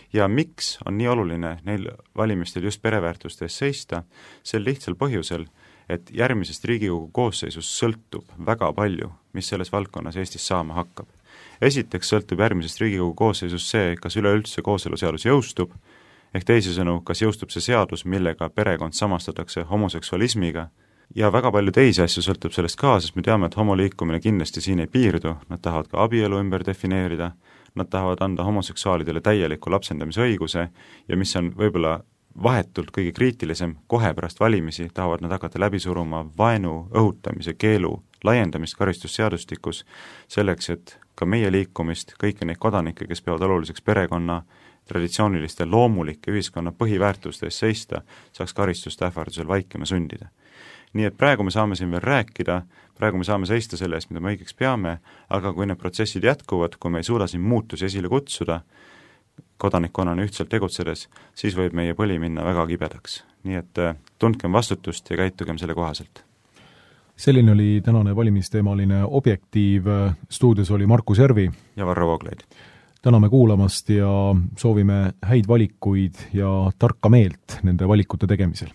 Ja miks on nii oluline neil valimistel just pereväärtuste ees seista? Sel lihtsal põhjusel, et järgmisest Riigikogu koosseisust sõltub väga palju, mis selles valdkonnas Eestis saama hakkab. Esiteks sõltub järgmisest Riigikogu koosseisust see, kas üleüldse kooseluseadus jõustub, ehk teisisõnu, kas jõustub see seadus, millega perekond samastatakse homoseksualismiga, ja väga palju teisi asju sõltub sellest ka, sest me teame, et homoliikumine kindlasti siin ei piirdu, nad tahavad ka abielu ümber defineerida, nad tahavad anda homoseksuaalidele täieliku lapsendamise õiguse ja mis on võib-olla vahetult kõige kriitilisem, kohe pärast valimisi tahavad nad hakata läbi suruma vaenu õhutamise keelu laiendamist karistusseadustikus selleks, et ka meie liikumist, kõiki neid kodanikke, kes peavad oluliseks perekonna, traditsiooniliste loomulike ühiskonna põhiväärtuste eest seista, saaks karistust ähvardusel vaikima sundida. Nii et praegu me saame siin veel rääkida, praegu me saame seista selle eest, mida me õigeks peame, aga kui need protsessid jätkuvad, kui me ei suuda siin muutusi esile kutsuda, kodanikkonnana ühtselt tegutsedes, siis võib meie põli minna väga kibedaks. Nii et tundkem vastutust ja käitugem selle kohaselt. Selline oli tänane valimisteemaline Objektiiv, stuudios oli Markus Järvi ja Varro Vooglaid. Täname kuulamast ja soovime häid valikuid ja tarka meelt nende valikute tegemisel.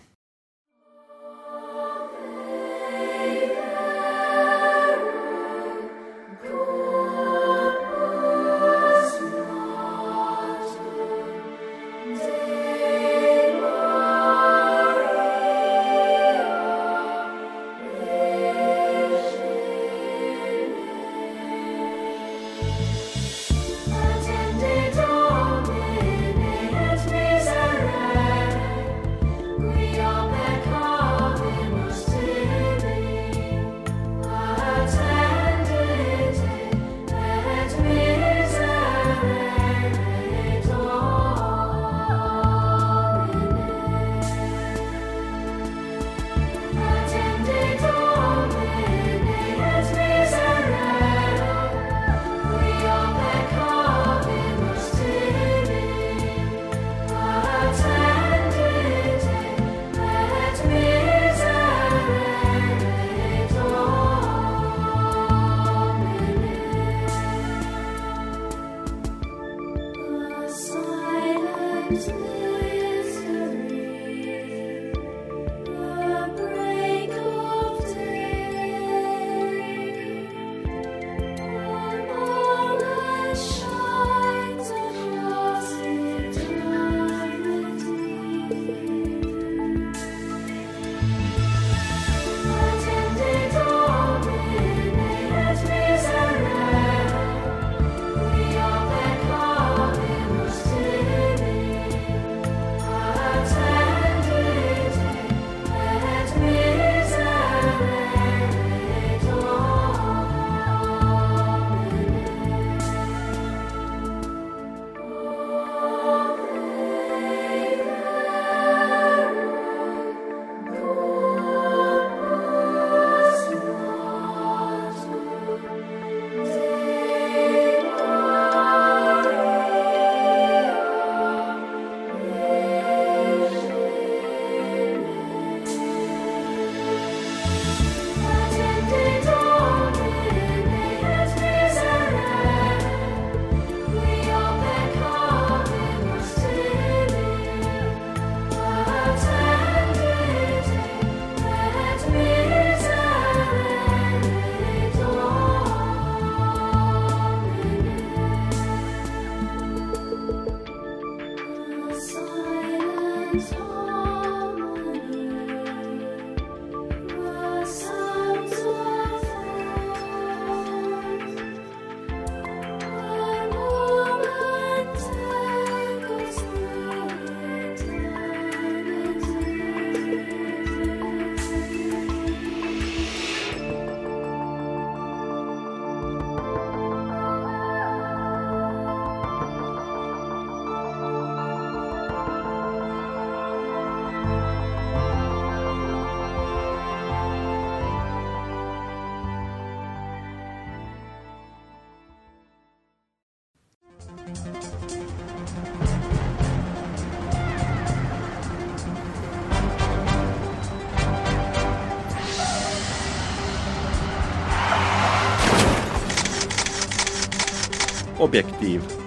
Objektiiv